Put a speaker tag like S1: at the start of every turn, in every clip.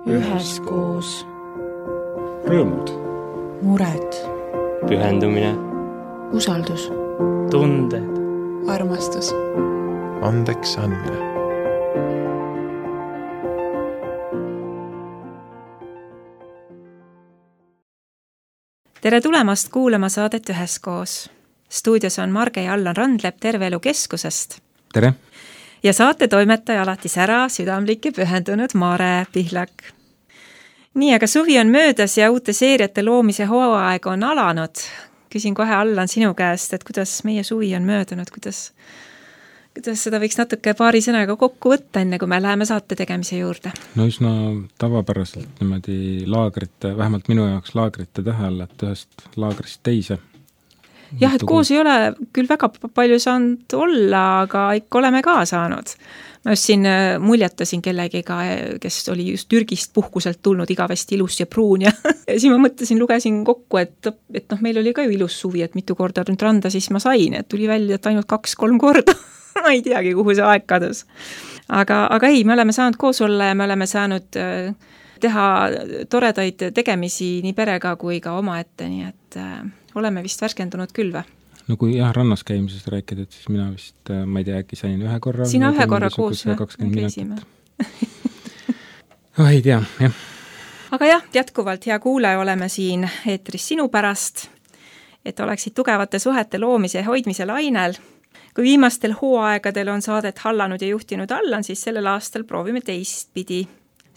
S1: üheskoos.
S2: Rõõmud.
S1: Mured.
S3: Pühendumine.
S1: Usaldus.
S3: Tunded.
S1: Armastus.
S4: Andeks andmine.
S5: Tere tulemast kuulama saadet Üheskoos. Stuudios on Marge ja Allan Randlep Terve Elu Keskusest.
S2: Tere!
S5: Ja saate toimetaja alati sära, südamlik ja pühendunud Mare Pihlak. Nii, aga suvi on möödas ja uute seeriate loomise hooaeg on alanud. Küsin kohe Allan sinu käest, et kuidas meie suvi on möödunud, kuidas seda võiks natuke paari sõnaga kokku võtta, enne kui me läheme saate tegemise juurde?
S2: No üsna tavapäraselt niimoodi laagrite, vähemalt minu jaoks laagrite tähel, et ühest laagrist teise.
S5: Jah, et koos ei ole küll väga palju saanud olla, aga ikka oleme ka saanud. Ma just siin muljetasin kellegiga, kes oli just Türgist puhkuselt tulnud igavesti ilus ja pruun ja siis ma mõtlesin, lugesin kokku, et meil oli ka ju ilus suvi, et mitu korda nüüd randa siis ma sain, et tuli välja, et ainult 2-3 korda. Ma ei teagi, kuhu see aeg kadus. Aga ei, me oleme saanud koos olla ja me oleme saanud teha toredaid tegemisi nii perega kui ka omaette, nii et oleme vist värskendunud küll või?
S2: No kui rannas käimisest rääkida, et siis mina vist, ma ei tea, äkki sain ühe korra.
S5: Sina ühe korra koos, käisime.
S2: Ei tea, jah.
S5: Aga jah, jätkuvalt hea kuulaja, oleme siin eetris sinu pärast, et oleksid tugevate suhete loomise ja hoidmise lainel. Kui viimastel hooaegadel on saadet hallanud ja juhtinud Allan, siis sellel aastal proovime teistpidi.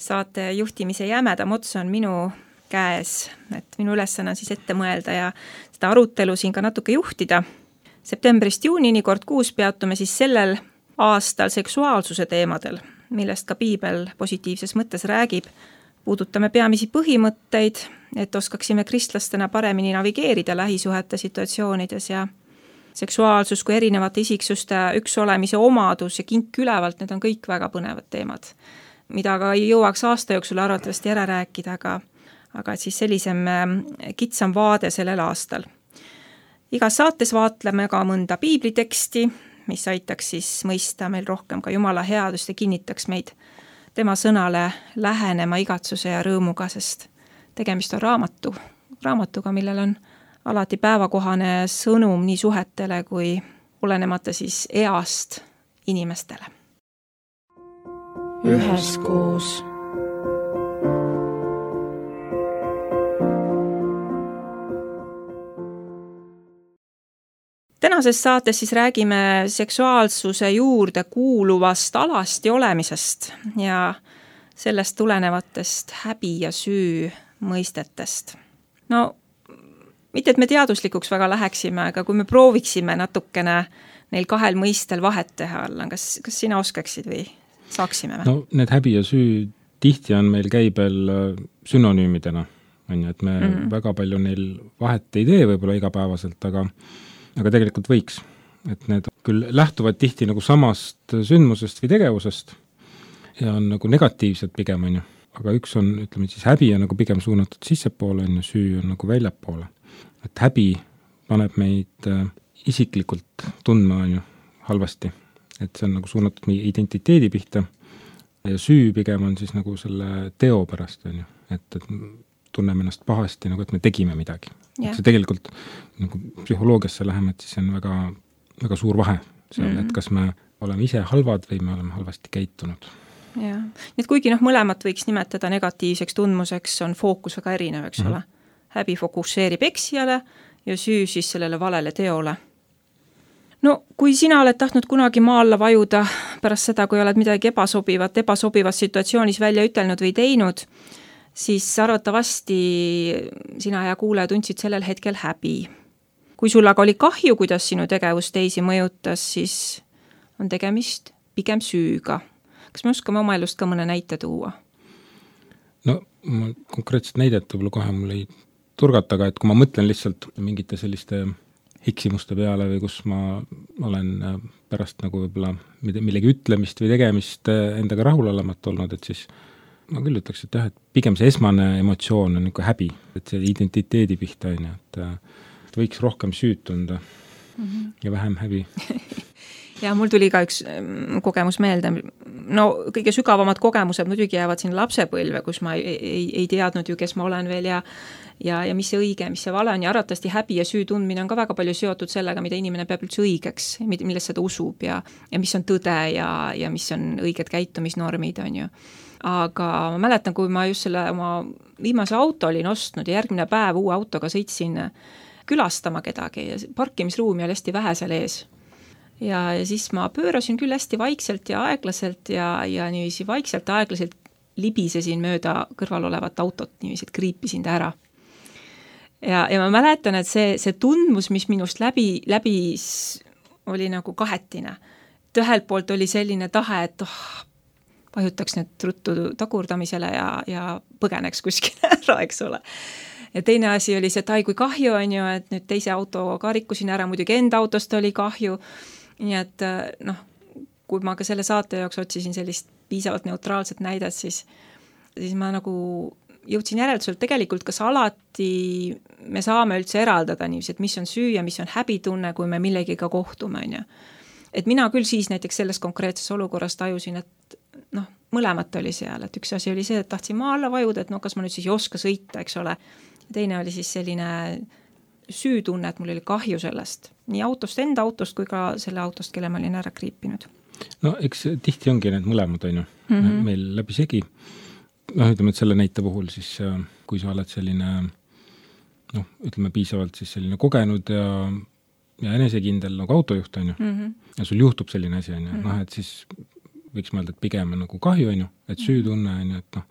S5: Saate juhtimise jämedam ots on minu käes, et minu ülesanne on siis ette mõelda ja seda arutelu siin ka natuke juhtida. Septembrist juunini kord kuus peatume siis sellel aastal seksuaalsuse teemadel, millest ka piibel positiivses mõttes räägib. Puudutame peamisi põhimõtteid, et oskaksime kristlastena paremini navigeerida lähisuhete situatsioonides ja seksuaalsus kui erinevate isiksuste üks olemise omadus ja kink ülevalt, need on kõik väga põnevad teemad, mida ka ei jõuaks aasta jooksul arvatavasti ära rääkida, aga et siis sellisem kitsam vaade sellel aastal. Igas saates vaatleme ka mõnda piibliteksti, mis aitaks siis mõista meil rohkem ka Jumala headust ja kinnitaks meid tema sõnale lähenema igatsuse ja rõõmuga, sest tegemist on raamatuga, millel on alati päevakohane sõnum nii suhetele kui olenemata siis east inimestele.
S1: Üheskoos.
S5: Tänases saates siis räägime seksuaalsuse juurde kuuluvast alasti olemisest ja sellest tulenevatest häbi ja süü mõistetest. No mitte, et me teaduslikuks väga läheksime, aga kui me prooviksime natukene neil kahel mõistel vahet teha alla, kas sina oskaksid või saaksime?
S2: No need häbi ja süü tihti on meil käibel synonüümidena, et me väga palju neil vahet ei tee võib-olla igapäevaselt, aga tegelikult võiks. Et need küll lähtuvad tihti nagu samast sündmusest või tegevusest ja on nagu negatiivsed pigem, aga üks on, ütleme siis häbi on nagu pigem suunatud sissepoole, süü on nagu väljapoole. Et häbi paneb meid isiklikult tundma halvasti, et see on nagu suunatud meie identiteedi pihta ja süü pigem on siis nagu selle teo pärast, et tunneme ennast pahasti, nagu et me tegime midagi. Yeah. See tegelikult nagu psühholoogiasse läheme, et siis on väga, väga suur vahe seal, et kas me oleme ise halvad või me oleme halvasti käitunud.
S5: Ja. Nii et kuigi mõlemat võiks nimetada negatiivseks tundmuseks, on fookus väga erinev, eks ole. Häbi fokusseerib eksijale ja süü siis sellele valele teole. No, kui sina oled tahtnud kunagi maa alla vajuda pärast seda, kui oled midagi ebasobivas situatsioonis välja ütelnud või teinud, siis arvatavasti sina ja kuulaja tundsid sellel hetkel häbi. Kui sul aga oli kahju, kuidas sinu tegevus teisi mõjutas, siis on tegemist pigem süüga. Kas me oskame oma elust ka mõne näite tuua?
S2: No, konkreetset näidet võib-olla kohe mul ei turgata, aga et kui ma mõtlen lihtsalt mingite selliste eksimuste peale või kus ma olen pärast nagu võib-olla millegi ütlemist või tegemist endaga rahulolemat olnud, et siis ma küll ütleks, et jah, et pigem see esmane emotsioon on niisugune häbi, et see identiteedi pihta on, et võiks rohkem süüd tunda ja vähem häbi.
S5: Ja mul tuli ka üks kogemus meelde. No kõige sügavamad kogemused muidugi jäävad siin lapsepõlve, kus ma ei teadnud ju, kes ma olen veel ja mis see õige, mis see vale on ja arvatavasti häbi ja süü tundmine on ka väga palju seotud sellega, mida inimene peab üldse õigeks, millest seda usub ja mis on tõde ja mis on õiged käitumisnormid, on ju. Aga ma mäletan, kui ma just selle oma viimase auto olin ostnud ja järgmine päev uue autoga sõitsin külastama kedagi ja parkimisruumi oli hästi vähe seal ees. Ja siis ma pöörasin küll hästi vaikselt ja aeglaselt ja niiviisi vaikselt aeglaselt libisesin mööda kõrval olevat autot, niiviisi, et kriipisin ta ära. Ja ma mäletan, et see tundmus, mis minust läbi oli nagu kahetine. Et ühelt poolt oli selline tahe, et vajutaks nüüd ruttu tagurdamisele ja põgeneks kuskile ära, eks ole. Ja teine asi oli see, et kui kahju on ju, et nüüd teise autoga rikkusin ära, muidugi enda autost oli kahju. Nii et kui ma ka selle saate jaoks otsisin sellist piisavalt neutraalset näidet, siis ma nagu jõudsin järelduselt tegelikult, kas alati me saame üldse eraldada niiviisi, et mis on süü ja mis on häbitunne, kui me millegiga kohtume, on ju. Et mina küll siis näiteks selles konkreetses olukorras tajusin, et mõlemat oli seal, et üks asi oli see, et tahtsin maa alla vajuda, et kas ma nüüd siis ei oska sõita, eks ole. Ja teine oli siis selline süütunne, et mul oli kahju sellest. Nii autost, enda autost kui ka selle autost, kelle ma olin ära kriipinud.
S2: No eks tihti ongi need mõlemad, on ju, meil läbi segi. Ütleme, et selle näite puhul siis, kui sa oled selline, ütleme piisavalt siis selline kogenud ja enesekindel nagu autojuht, on ju, ja sul juhtub selline asi, on ju, et siis võiks mõelda, et pigem on nagu kahju, on ju, et süütunne, on ju, et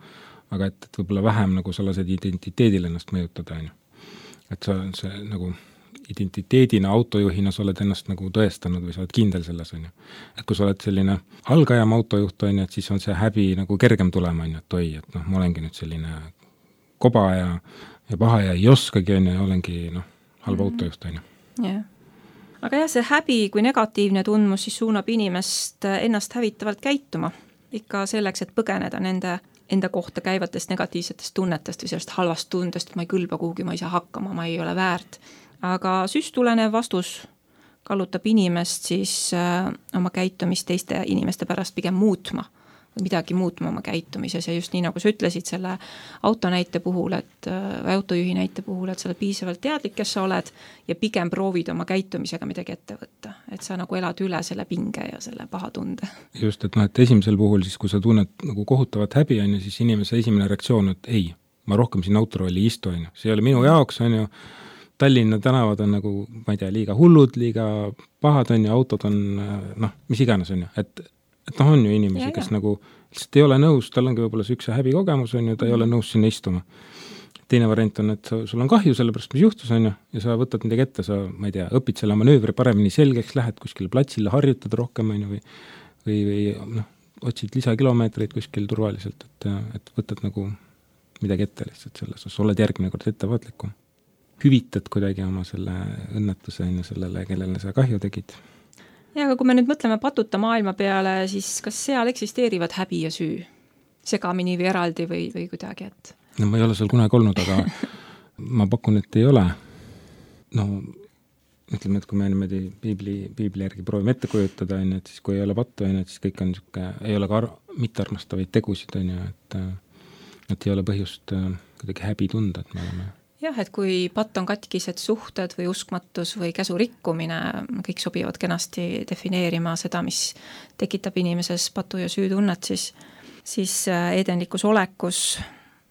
S2: aga et võib-olla vähem nagu sa lased identiteedil ennast mõjutada, on ju. Et see nagu identiteedina, autojuhina sa oled ennast nagu tõestanud või sa oled kindel selles, on ju. Et kui sa oled selline algajam autojuht, on ju, et siis on see häbi nagu kergem tulema, on ju, et ma olengi nüüd selline koba ja paha ja ei oskagi, on ju, ja olengi halva autojuht, on ju.
S5: Yeah. Aga jah, see häbi kui negatiivne tundmus siis suunab inimest ennast hävitavalt käituma. Ikka selleks, et põgeneda nende enda kohta käivatest negatiivsetest tunnetest või sellest halvast tundest, et ma ei kõlba kuhugi, ma ei saa hakkama, ma ei ole väärt. Aga süstulenev vastus kallutab inimest siis oma käitumist teiste inimeste pärast pigem muutma või midagi muutma oma käitumises ja just nii, nagu sa ütlesid selle autonäite puhul, või autojuhi näite puhul, et sa oled piisavalt teadlik, kes sa oled ja pigem proovid oma käitumisega midagi ette võtta. Et sa nagu elad üle selle pinge ja selle paha tunde.
S2: Just, et esimesel puhul siis, kui sa tunned nagu kohutavat häbi, on ju, siis inimese esimene reaktsioon, et ei, ma rohkem siin autorolli istu, on ju. See ei ole minu jaoks, on ju. Tallinna tänavad on nagu, ma ei tea, liiga hullud, liiga pahad on ju, autod on, mis iganes on ju, et on ju inimesi, kes nagu lihtsalt ei ole nõus, tal ongi võib-olla see üks häbi kogemus on ju, ta ei ole nõus sinna istuma. Teine variant on, et sul on kahju sellepärast, mis juhtus on ju, ja sa võtad midagi ette, sa, ma ei tea, õpid selle manöövri paremini selgeks, lähed kuskile platsile, harjutad rohkem on ju, või otsid lisakilomeetreid kuskil turvaliselt, et võtad nagu midagi ette lihtsalt selles, sa oled järgmine kord ettevaatlikum. Hüvitad kuidagi oma selle õnnetuse on ju sellele, kellele sa kahju tegid.
S5: Ja, aga kui me nüüd mõtleme patuta maailma peale, siis kas seal eksisteerivad häbi ja süü? Segamini või eraldi või kuidagi, et?
S2: No ma ei ole seal kunagi olnud, aga ma pakun, et ei ole. Ütleme, et kui me niimoodi piibli järgi proovime ette kujutada, et siis kui ei ole pattu, et siis kõik on niisugune, ei ole ka mittearmastavaid tegusid, et ei ole põhjust kuidagi häbi tunda, et me oleme.
S5: Jah, et kui patt on katkised suhted või uskmatus või käsu rikkumine, kõik sobivad kenasti defineerima seda, mis tekitab inimeses patu ja süütunnet, siis edenlikus olekus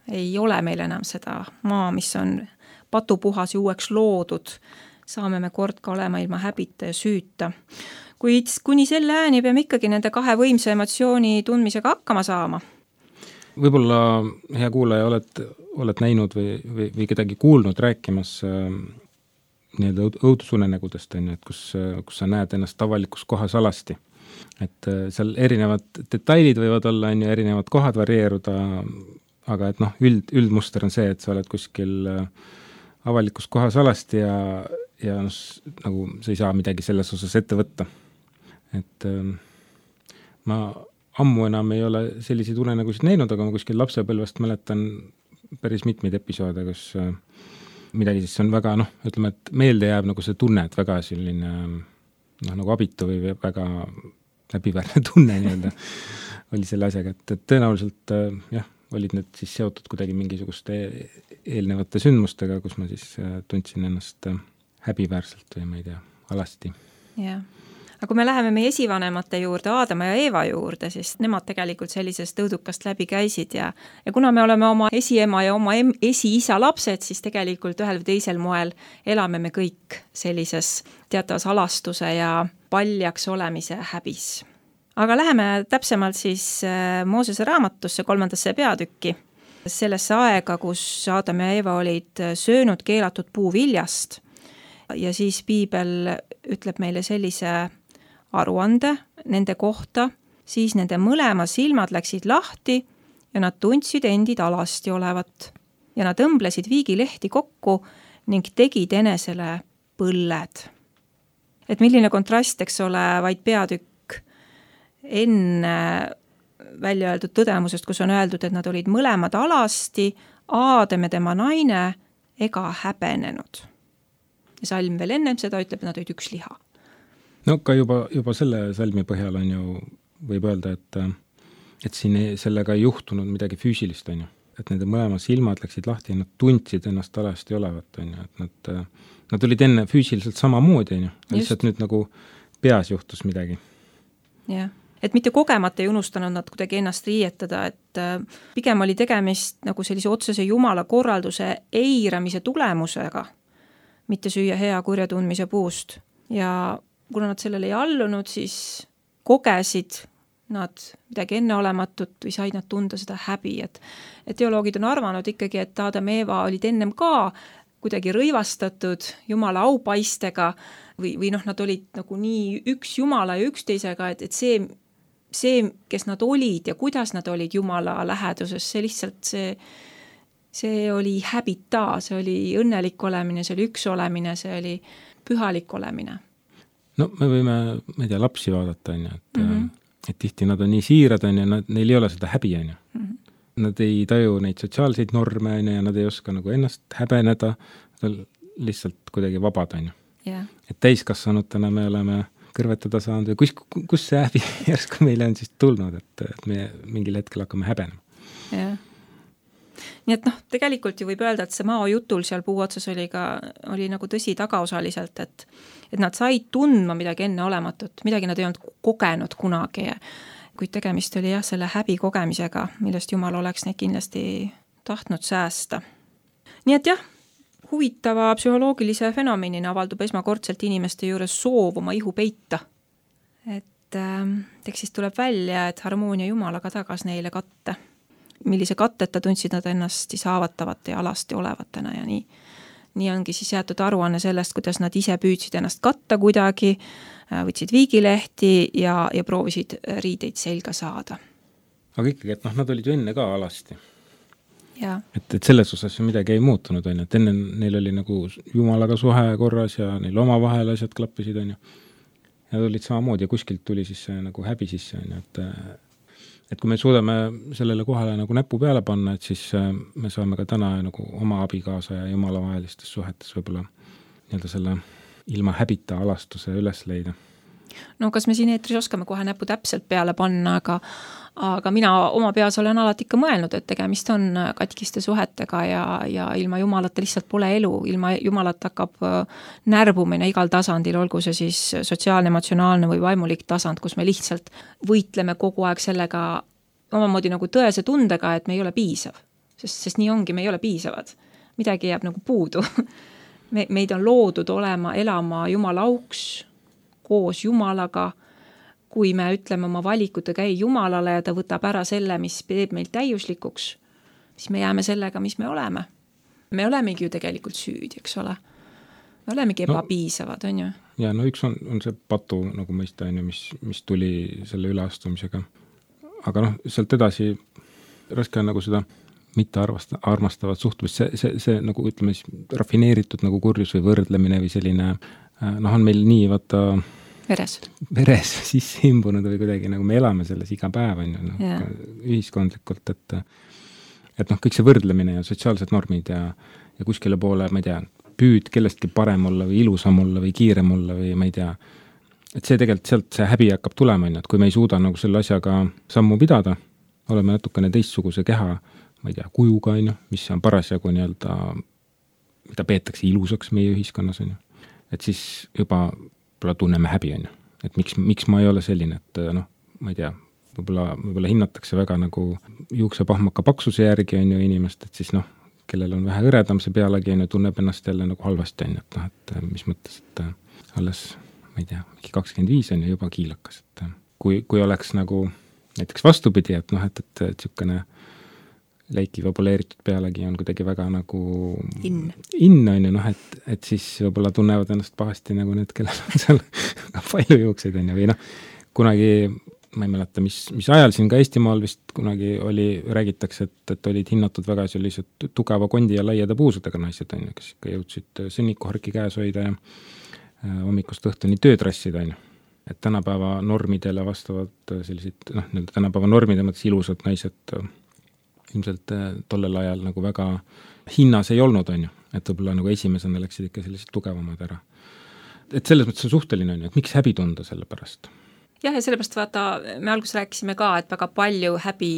S5: ei ole meil enam seda maa, mis on patupuhas ja uueks loodud. Saame me kord ka olema ilma häbita ja süüta. Kuid kuni selle ääni peame ikkagi nende kahe võimsa emotsiooni tundmisega hakkama saama.
S2: Võib-olla, hea kuulaja, oled näinud või kedagi kuulnud rääkimas nii-öelda õudusunenägudest, et kus sa näed ennast avalikus kohas alasti. Et seal erinevad detailid võivad olla, erinevad kohad varieeruda, aga et üldmuster on see, et sa oled kuskil avalikus kohas alasti ja nagu sa ei saa midagi selles osas ette võtta. Et ma ammu enam ei ole selliseid unenägusid näinud, aga ma kuskil lapsepõlvest mäletan päris mitmeid episoode, kus midagi siis on väga, ütleme, et meelde jääb nagu see tunne, et väga selline nagu abitu või väga häbiväärne tunne nii-öelda oli selle asjaga, et tõenäoliselt jah, olid need siis seotud kuidagi mingisuguste eelnevate sündmustega, kus ma siis tundsin ennast häbiväärselt või ma ei tea, alasti.
S5: Jah. Aga kui me läheme meie esivanemate juurde, Aadama ja Eeva juurde, siis nemad tegelikult sellisest tõudukast läbi käisid ja kuna me oleme oma esiema ja oma esiisa lapsed, siis tegelikult ühel või teisel moel elame me kõik sellises teatavas alastuse ja paljaks olemise häbis. Aga läheme täpsemalt siis Moosese raamatusse 3. peatükki, sellesse aega, kus Aadam ja Eeva olid söönud keelatud puuviljast ja siis piibel ütleb meile sellise aruande nende kohta, siis nende mõlema silmad läksid lahti ja nad tundsid endid alasti olevat ja nad õmblesid viigilehti kokku ning tegid enesele põlled. Et milline kontrast, eks ole, vaid peatükk enne välja öeldud tõdemusest, kus on öeldud, et nad olid mõlemad alasti, Aadam ja tema naine ega häbenenud. Ja salm veel ennem seda ütleb, et nad olid üks liha.
S2: No ka juba selle salmi põhjal on ju, võib öelda, et siin sellega ei juhtunud midagi füüsilist, on ju. Et nende mõlema silmad läksid lahti ja nad tundsid ennast alasti olevat, on ju. Et nad olid enne füüsiliselt samamoodi, on ju. Lihtsalt nüüd nagu peas juhtus midagi.
S5: Jah. Et mitte kogemata ei unustanud nad kuidagi ennast riietada, et pigem oli tegemist nagu sellise otsese Jumala korralduse eiramise tulemusega, mitte süüa hea kurja tundmise puust. Ja kuna nad sellele ei allunud, siis kogesid nad midagi enneolematut või said nad tunda seda häbi, et teoloogid on arvanud ikkagi, et Aadam ja Eeva olid ennem ka kuidagi rõivastatud Jumala aupaistega või nad olid nagu nii üks Jumala ja üksteisega, et see, kes nad olid ja kuidas nad olid Jumala läheduses, see lihtsalt see oli häbita, see oli õnnelik olemine, see oli üks olemine, see oli pühalik olemine.
S2: No me võime, ma ei tea, lapsi vaadata, on ju, et tihti nad on nii siirad, on ju, neil ei ole seda häbi, on ju. Nad ei taju neid sotsiaalseid norme, on ju, ja nad ei oska nagu ennast häbeneda, lihtsalt kuidagi vabad, on ju.
S5: Yeah.
S2: Et täiskasvanutena me oleme kõrvetada saanud või kus see häbi järsku meile on siis tulnud, et me mingil hetkel hakkame häbenema.
S5: Yeah. Nii et tegelikult ju võib öelda, et see Mao jutul seal puu otsas oli nagu tõsi tagaosaliselt, et nad said tundma midagi enneolematut, midagi nad ei olnud kogenud kunagi, kuid tegemist oli jah, selle häbi kogemisega, millest Jumal oleks neid kindlasti tahtnud säästa. Nii et jah, huvitava psühholoogilise fenomenina avaldub esmakordselt inimeste juures soov oma ihu peita. Et tekstist tuleb välja, et harmoonia Jumalaga tagas neile katte. Millise katteta tundsid nad ennast siis haavatavate ja alasti olevatena ja nii ongi siis jäetud aruanne sellest, kuidas nad ise püüdsid ennast katta kuidagi, võtsid viigilehti ja proovisid riideid selga saada.
S2: Aga ikkagi, et nad olid ju enne ka alasti.
S5: Ja.
S2: Et selles osas ju midagi ei muutunud, on ju, et enne neil oli nagu Jumalaga suhe korras ja neil oma vahel asjad klappisid, on ju. Ja nad olid samamoodi ja kuskilt tuli siis nagu häbi sisse, on ju, et kui me suudame sellele kohale nagu näpu peale panna, et siis me saame ka täna nagu oma abikaasa ja Jumala vahelistes suhetes võib-olla nii-öelda selle ilma häbita alastuse üles leida.
S5: No kas me siin eetris oskame kohe näpu täpselt peale panna, aga mina oma peas olen alati ikka mõelnud, et tegemist on katkiste suhetega ja ilma Jumalata lihtsalt pole elu. Ilma Jumalata hakkab närbumine igal tasandil, olgu see siis sotsiaalne, emotsionaalne või vaimulik tasand, kus me lihtsalt võitleme kogu aeg sellega omamoodi nagu tõese tundega, et me ei ole piisav. Sest nii ongi, me ei ole piisavad. Midagi jääb nagu puudu. Meid on loodud elama Jumala auks, koos Jumalaga, kui me ütleme oma valikutega ei Jumalale ja ta võtab ära selle, mis teeb meil täiuslikuks, siis me jääme sellega, mis me oleme. Me olemegi ju tegelikult süüdi, eks ole. Me olemegi ebapiisavad, on ju?
S2: Ja üks on see patu nagu mõista, on ju, mis tuli selle üleastumisega. Aga sealt edasi raske on nagu seda mitte armastavat suhtumist, see nagu ütleme rafineeritud nagu kurjus või võrdlemine või selline, on meil nii vaata veres sisse imbunud või kuidagi nagu me elame selles iga päev, on ju, ühiskondlikult, et kõik see võrdlemine ja sotsiaalsed normid ja kuskile poole, ma ei tea, püüd kellestki parem olla või ilusam olla või kiirem olla või ma ei tea, et see tegelikult sealt see häbi hakkab tulema, et kui me ei suuda nagu selle asjaga sammu pidada, oleme natukene teistsuguse keha, ma ei tea, kujuga, mis on parasjagu nii-öelda, mida peetakse ilusaks meie ühiskonnas, et siis juba tunneme häbi, et miks ma ei ole selline, et ma ei tea, võib-olla hinnatakse väga nagu juuksepahmaka paksuse järgi inimest, et siis kellel on vähe hõredam see pealegi, tunneb ennast jälle nagu halvasti, et mis mõttes, et alles, ma ei tea, 25 on juba kiilakas, et kui oleks nagu näiteks vastupidi, et niisugune läiki vabuleeritud pealegi on kuidagi väga nagu in, et siis võib-olla tunnevad ennast pahasti nagu need, kellel on seal palju juukseid, või kunagi ma ei mäleta, mis ajal siin ka Eestimaal vist kunagi räägitakse, et olid hinnatud väga sellised tugeva kondi ja laiade puusudega naised, kes ikka jõudsid sõnnikuharki käes hoida ja hommikust õhtuni töötrassida, et tänapäeva normidele vastavad sellised, tänapäeva normide mõttes ilusad naised ilmselt tollel ajal nagu väga hinnas ei olnud, et võib-olla nagu esimesena läksid ikka sellised tugevamad ära. Et selles mõttes on suhteline, et miks häbi tunda selle pärast?
S5: Jah, ja sellepärast vaata, me alguses rääkisime ka, et väga palju häbi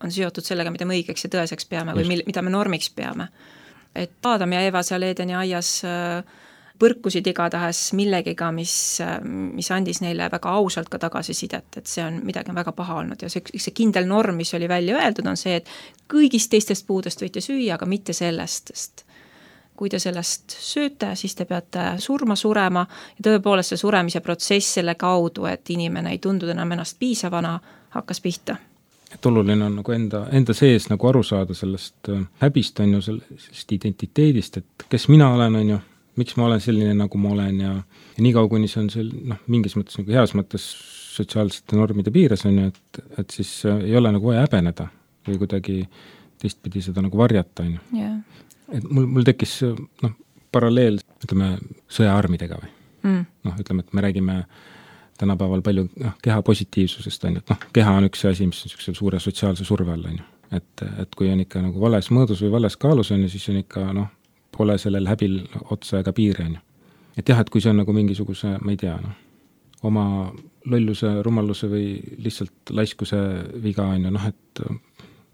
S5: on seotud sellega, mida me õigeks ja tõeseks peame või mida me normiks peame. Et Adam ja Eva seal Eedeni aias põrkusid igatahes millegiga, mis andis neile väga ausalt ka tagasisidet, et see on midagi väga paha olnud ja see kindel norm, mis oli välja öeldud, on see, et kõigist teistest puudest võite süüa, aga mitte sellest, sest kui te sellest sööte, siis te peate surema ja tõepoolest see suremise protsess selle kaudu, et inimene ei tundu enam ennast piisavana, hakkas pihta.
S2: Et oluline on nagu enda sees nagu aru saada sellest häbist, sellest identiteedist, et kes mina olen, miks ma olen selline, nagu ma olen ja nii kaua, kuni see on mingis mõttes nagu heas mõttes sotsiaalsete normide piires, et siis ei ole nagu vaja häbeneda või kuidagi teistpidi seda nagu varjata.
S5: Yeah.
S2: Et mul tekkis paralleel, ütleme, sõjaarmidega või. Ütleme, et me räägime tänapäeval palju keha positiivsusest, et keha on üks asi, mis on suure sotsiaalse surve all, et kui on ikka nagu vales mõõdus või vales kaalus, siis on ikka, pole sellel häbil otsa ega piiri, et jah, et kui see on nagu mingisuguse, ma ei tea, oma lolluse, rumaluse või lihtsalt laiskuse viga, et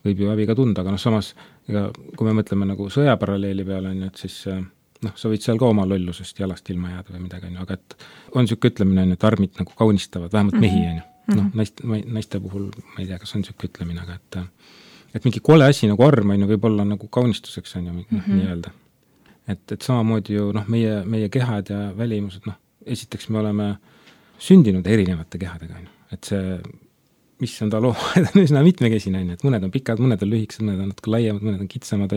S2: võib ju häbi ka tunda, aga samas, kui me mõtleme nagu sõjaparalleeli peale, et siis sa võid seal ka oma lollusest jalast ilma jääda või midagi, aga et on niisugune ütlemine, et armid nagu kaunistavad, vähemalt mehi, naiste puhul, ma ei tea, kas on niisugune ütlemine, aga et mingi kole asi nagu arm võib olla nagu kaunistuseks, nii öelda. Et samamoodi ju meie kehad ja välimused, esiteks me oleme sündinud erinevate kehadega, et see issanda loomad on üsna mitmekesine, et mõned on pikad, mõned on lühikesed, mõned on natuke laiemad, mõned on kitsamad,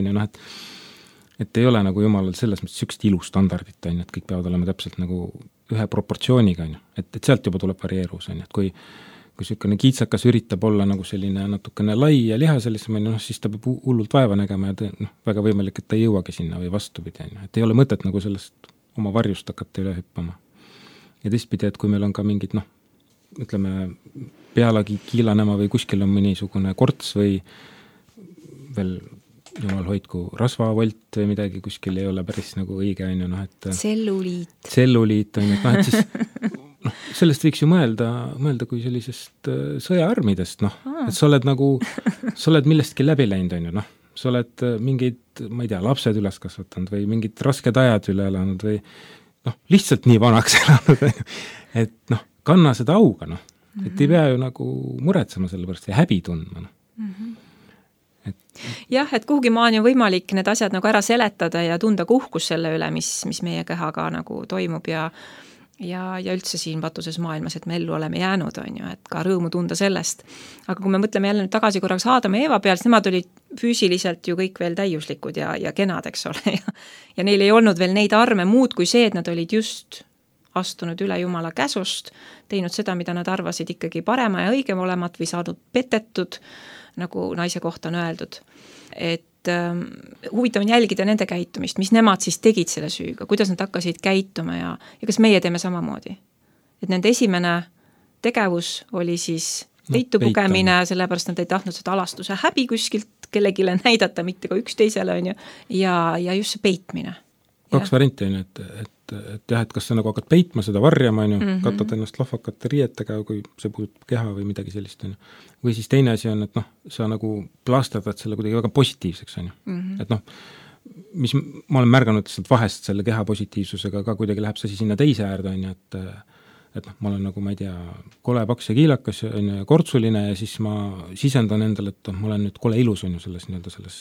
S2: et ei ole nagu jumalal selles mõttes sükst ilustandardit, et kõik peavad olema täpselt nagu ühe proportsiooniga, et sealt juba tuleb varieerus, et kui niisugune kiitsakas üritab olla nagu selline natukene lai ja lihaselisem, siis ta peab hullult vaeva nägema ja väga võimalik, et ta ei jõuagi sinna või vastupidi, et ei ole mõtet nagu sellest oma varjust hakata üle hüppama. Ja teistpidi, et kui meil on ka mingid, ütleme, pealagi kiilanema või kuskil on mõnisugune korts või veel jumal hoidku rasvavolt või midagi, kuskil ei ole päris nagu õige, et tselluliit, et siis sellest võiks ju mõelda kui sellisest sõjaarmidest, et sa oled millestki läbi läinud, sa oled mingid, ma ei tea, lapsed üles kasvatanud või mingid rasked ajad üle elanud või lihtsalt nii vanaks elanud, et kanna seda auga, et ei pea ju nagu muretsema selle pärast ja häbi tundma.
S5: Jah, et kuhugi maani on võimalik need asjad nagu ära seletada ja tunda kuhkus selle üle, mis meie kehaga nagu toimub ja üldse siin patuses maailmas, et me ellu oleme jäänud, et ka rõõmu tunda sellest. Aga kui me mõtleme jälle nüüd tagasi korraks Aadama ja Eeva peal, siis nemad olid füüsiliselt ju kõik veel täiuslikud ja kenad, eks ole, ja neil ei olnud veel neid arme muud kui see, et nad olid just astunud üle Jumala käsust, teinud seda, mida nad arvasid ikkagi parema ja õigem olemat või saanud petetud, nagu naise kohta on öeldud. Et huvitav on jälgida nende käitumist, mis nemad siis tegid selle süüga, kuidas nad hakkasid käituma ja kas meie teeme samamoodi. Et nende esimene tegevus oli siis peitu pugemine, sellepärast nad ei tahtnud seda alastuse häbi kuskilt kellegile näidata, mitte ka üksteisele, on ju, ja just see peitmine.
S2: kaks varianti on ju, et jah, et kas sa nagu hakkad peitma seda varjama, on ju, katad ennast lahvakate riietega, kui see puudutab keha või midagi sellist, on ju. Või siis teine asi on, et noh, sa nagu plaasterdad selle kuidagi väga positiivseks, on ju. Et noh, mis ma olen märganud sealt vahest selle keha positiivsusega ka kuidagi läheb see sinna teise äärde, on ju, et noh, ma olen nagu, ma ei tea, kole paks ja kiilakas on ju, kortsuline ja siis ma sisendan endale, et ma olen nüüd kole ilus, on ju, selles nii-öelda selles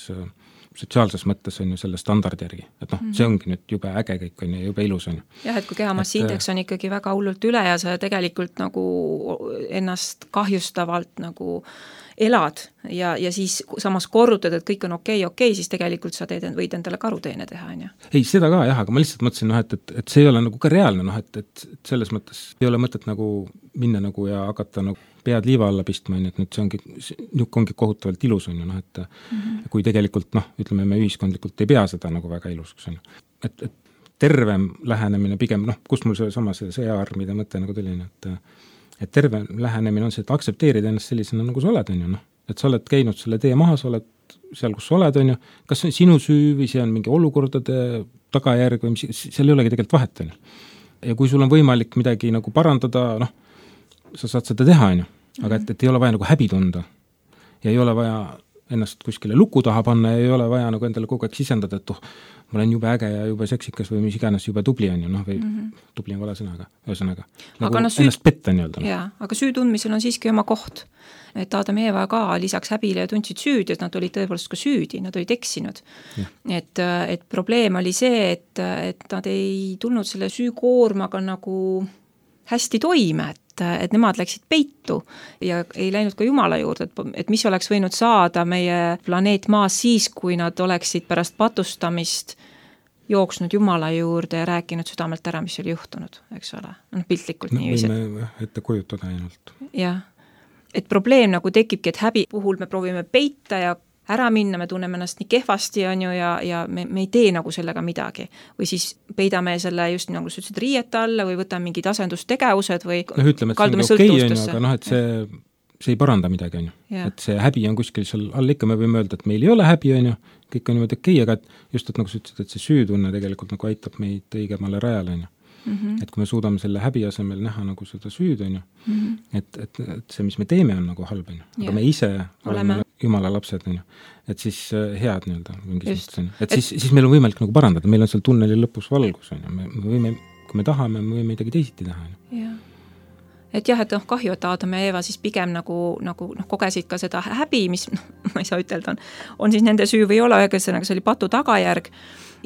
S2: sotsiaalses mõttes on ju selle standardi järgi, et noh, see ongi nüüd jube äge kõik on ju, jube ilus on ju.
S5: Jah, et kui kehamassiindeks on ikkagi väga hullult üle ja sa tegelikult nagu ennast kahjustavalt nagu elad ja siis samas korrutad, et kõik on okei, siis tegelikult sa võid endale karuteene teha, on ju.
S2: Ei, seda ka jah, aga ma lihtsalt mõtlesin, noh, et see ei ole nagu ka reaalne, noh, et selles mõttes ei ole mõtet nagu minna nagu ja hakata nagu pead liiva alla pistma, et nüüd see ongi kohutavalt ilus, on ju, noh, et kui tegelikult, noh, ütleme, me ühiskondlikult ei pea seda nagu väga ilusaks, on ju. Et tervem lähenemine pigem, noh, kus mul see sõjaarmide mõte nagu tuli, et terve lähenemine on see, et aksepteerida ennast sellisena, nagu sa oled, on ju, noh. Et sa oled käinud selle tee maha, sa oled seal, kus sa oled, on ju, kas see on sinu süü või see on mingi olukordade tagajärg või mis, seal ei olegi tegelikult vahet, on ju. Ja kui sul on võimalik midagi nagu parandada, noh, sa saad seda teha, on ju. Aga et ei ole vaja nagu häbi tunda ja ei ole vaja ennast kuskile luku taha panna ja ei ole vaja nagu endale kogu aeg sisendada, et ma olen jube äge ja jube seksikas või mis iganes jube tubli on ju, noh, või tubli on vale sõnaga, ühesõnaga. Nagu ennast petta nii-öelda.
S5: Jaa, aga süü tundmisel on siiski oma koht. Et Adam ja Eva ka lisaks häbile ja tundsid süüd, et nad olid tõepoolest ka süüdi, nad olid eksinud. Et probleem oli see, et nad ei tulnud selle süükoormaga nagu hästi toime, et nemad läksid peitu ja ei läinud ka Jumala juurde, et mis oleks võinud saada meie planeet Maas siis, kui nad oleksid pärast patustamist jooksnud Jumala juurde ja rääkinud südamelt ära, mis oli juhtunud, eks ole, piltlikult nii.
S2: Võime ette kujutada ainult.
S5: Jah, et probleem nagu tekibki, et häbi puhul me proovime peita ja ära minna, me tunneme ennast nii kehvasti, on ju, ja me ei tee nagu sellega midagi. Või siis peidame selle just nagu sa ütlesid riieta alla või võtame mingid asendustegevused või
S2: ütleme, et see on okei, on ju, aga noh, et see ei paranda midagi, on ju. Et see häbi on kuskil seal all ikka, me võime öelda, et meil ei ole häbi, on ju, kõik on niimoodi okei, aga just, et nagu sa ütlesid, et see süütunne tegelikult nagu aitab meid õigemale rajale, on ju. Et kui me suudame selle häbi asemel näha nagu seda süüd, on ju, et see, mis me teeme, on nagu halb, on ju. Aga me ise oleme Jumala lapsed, on ju. Et siis head nii-öelda mingis mõttes, on ju. Et siis meil on võimalik nagu parandada, meil on seal tunneli lõpus valgus, on ju. Me võime, kui me tahame, me võime midagi teisiti teha, on ju.
S5: Et jah, et kahju, et Adam ja Eva siis pigem nagu kogesid ka seda häbi, mis, ma ei saa ütelda, on siis nende süü või ei ole, ühesõnaga see oli patu tagajärg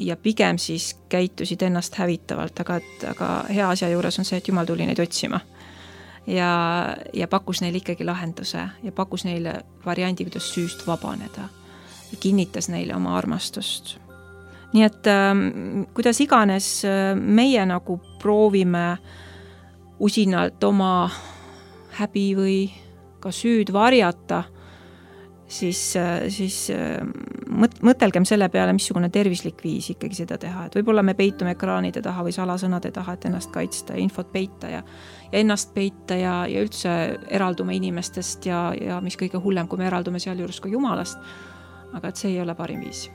S5: ja pigem siis käitusid ennast hävitavalt, aga hea asja juures on see, et Jumal tuli neid otsima ja pakkus neile ikkagi lahenduse ja pakkus neile variandi, kuidas süüst vabaneda ja kinnitas neile oma armastust. Nii et kuidas iganes meie nagu proovime usinalt oma häbi või ka süüd varjata, siis mõtelgem selle peale, missugune tervislik viis ikkagi seda teha. Et võib-olla me peitume ekraanide taha või salasõnade taha, et ennast kaitsta, infot peita ja ennast peita ja üldse eraldume inimestest ja mis kõige hullem, kui me eraldume seal juures ka Jumalast. Aga et see ei ole parim viis.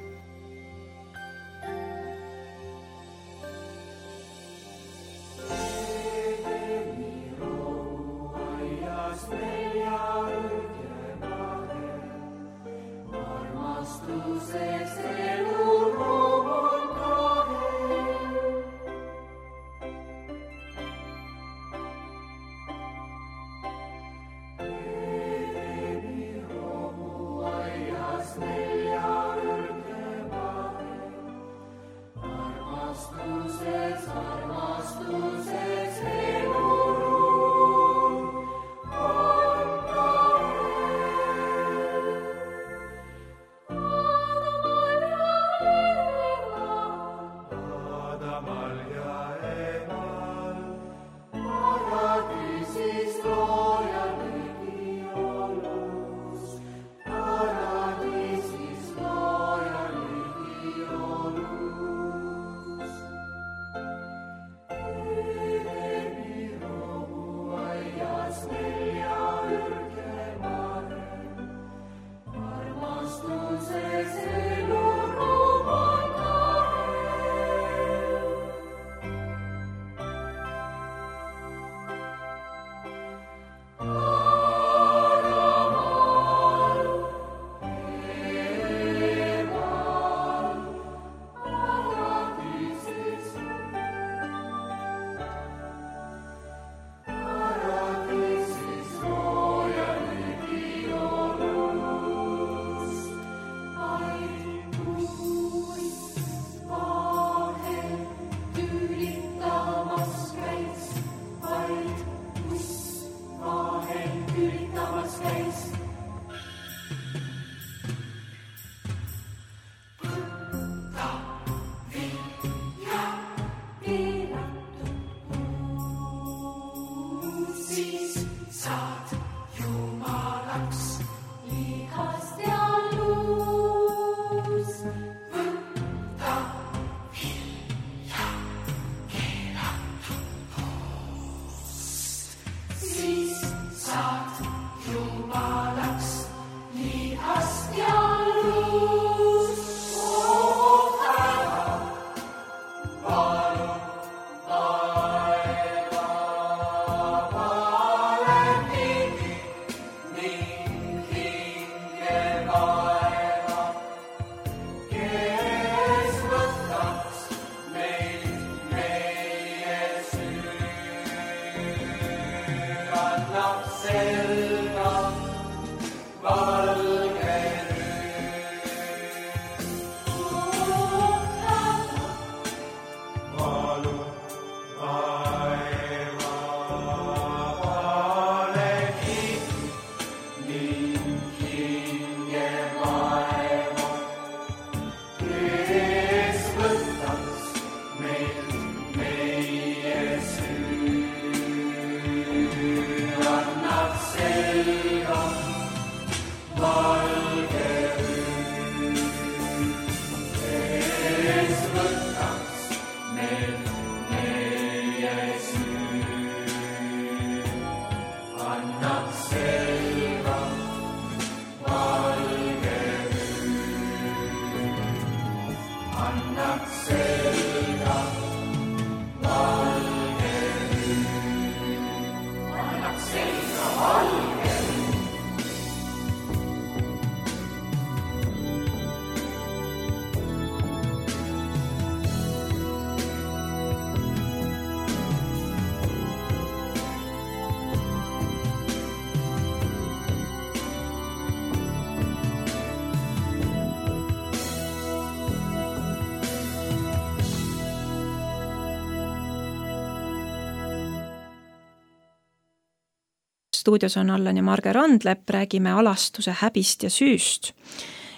S5: Stuudios on Allan ja Marge Randlepp, räägime alastuse häbist ja süüst.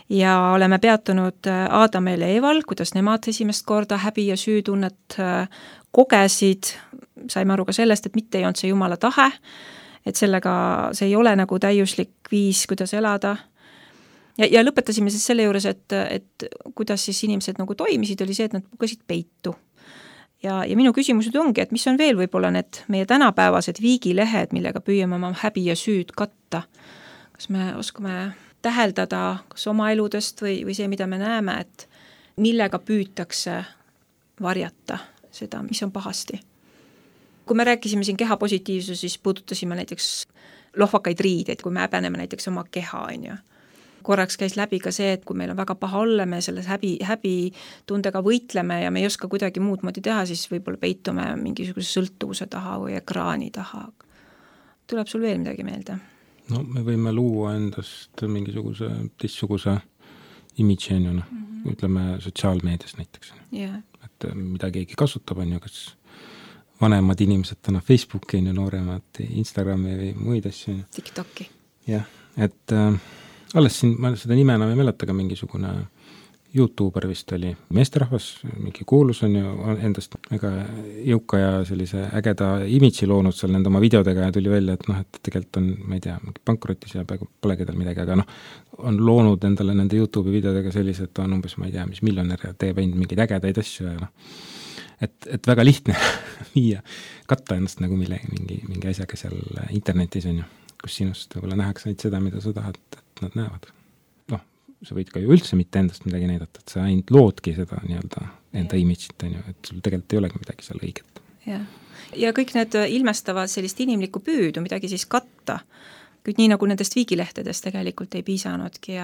S5: Ja oleme peatunud Aadamel ja Eval, kuidas nemad esimest korda häbi ja süütunnet kogesid. Saime aru ka sellest, et mitte ei olnud see Jumala tahe, et sellega see ei ole nagu täiuslik viis, kuidas elada. Ja lõpetasime siis selle juures, et kuidas siis inimesed nagu toimisid, oli see, et nad pugesid peitu. Ja minu küsimused ongi, et mis on veel võib-olla need meie tänapäevased viigilehed, millega püüame oma häbi ja süüd katta. Kas me oskame täheldada kas oma eludest või see, mida me näeme, et millega püütakse varjata seda, mis on pahasti. Kui me rääkisime siin keha positiivsus, siis puudutasime näiteks lohvakaid riideid, kui me häbeneme näiteks oma keha, on ju. Korraks käis läbi ka see, et kui meil on väga paha olla, me selles häbi tundega võitleme ja me ei oska kuidagi muud moodi teha, siis võib-olla peitume mingisuguse sõltuvuse taha või ekraani taha. Tuleb sul veel midagi meelde?
S2: No me võime luua endast mingisuguse teistsuguse imidži, ütleme sotsiaalmeedias näiteks.
S5: Yeah.
S2: Et mida keegi kasutab, on ju, kas vanemad inimesed täna Facebooki, nooremad Instagrami või muid asju.
S5: TikToki.
S2: Jah, et alles siin, ma seda nime enam ei mäleta, aga mingisugune YouTuber vist oli meesterahvas, mingi kuulus on ju endast väga jõuka ja sellise ägeda imidži loonud seal nende oma videodega ja tuli välja, et et tegelikult on, ma ei tea, pankrotis ja polegi tal midagi, aga on loonud endale nende YouTube'i videodega sellised, et on umbes, ma ei tea, mis miljonär ja teeb ainult mingeid ägedaid asju ja et väga lihtne viia, katta ennast nagu mingi asjaga seal internetis on ju, kus sinust võib-olla nähakse ainult seda, mida sa tahad, et nad näevad. Sa võid ka ju üldse mitte endast midagi näidata, et sa ainult loodki seda enda imidžit, et sul tegelikult ei olegi midagi seal õiget.
S5: Ja kõik need ilmestavad sellist inimlikku püüdu, midagi siis katta, kuid nii nagu nendest viigilehtedest tegelikult ei piisanudki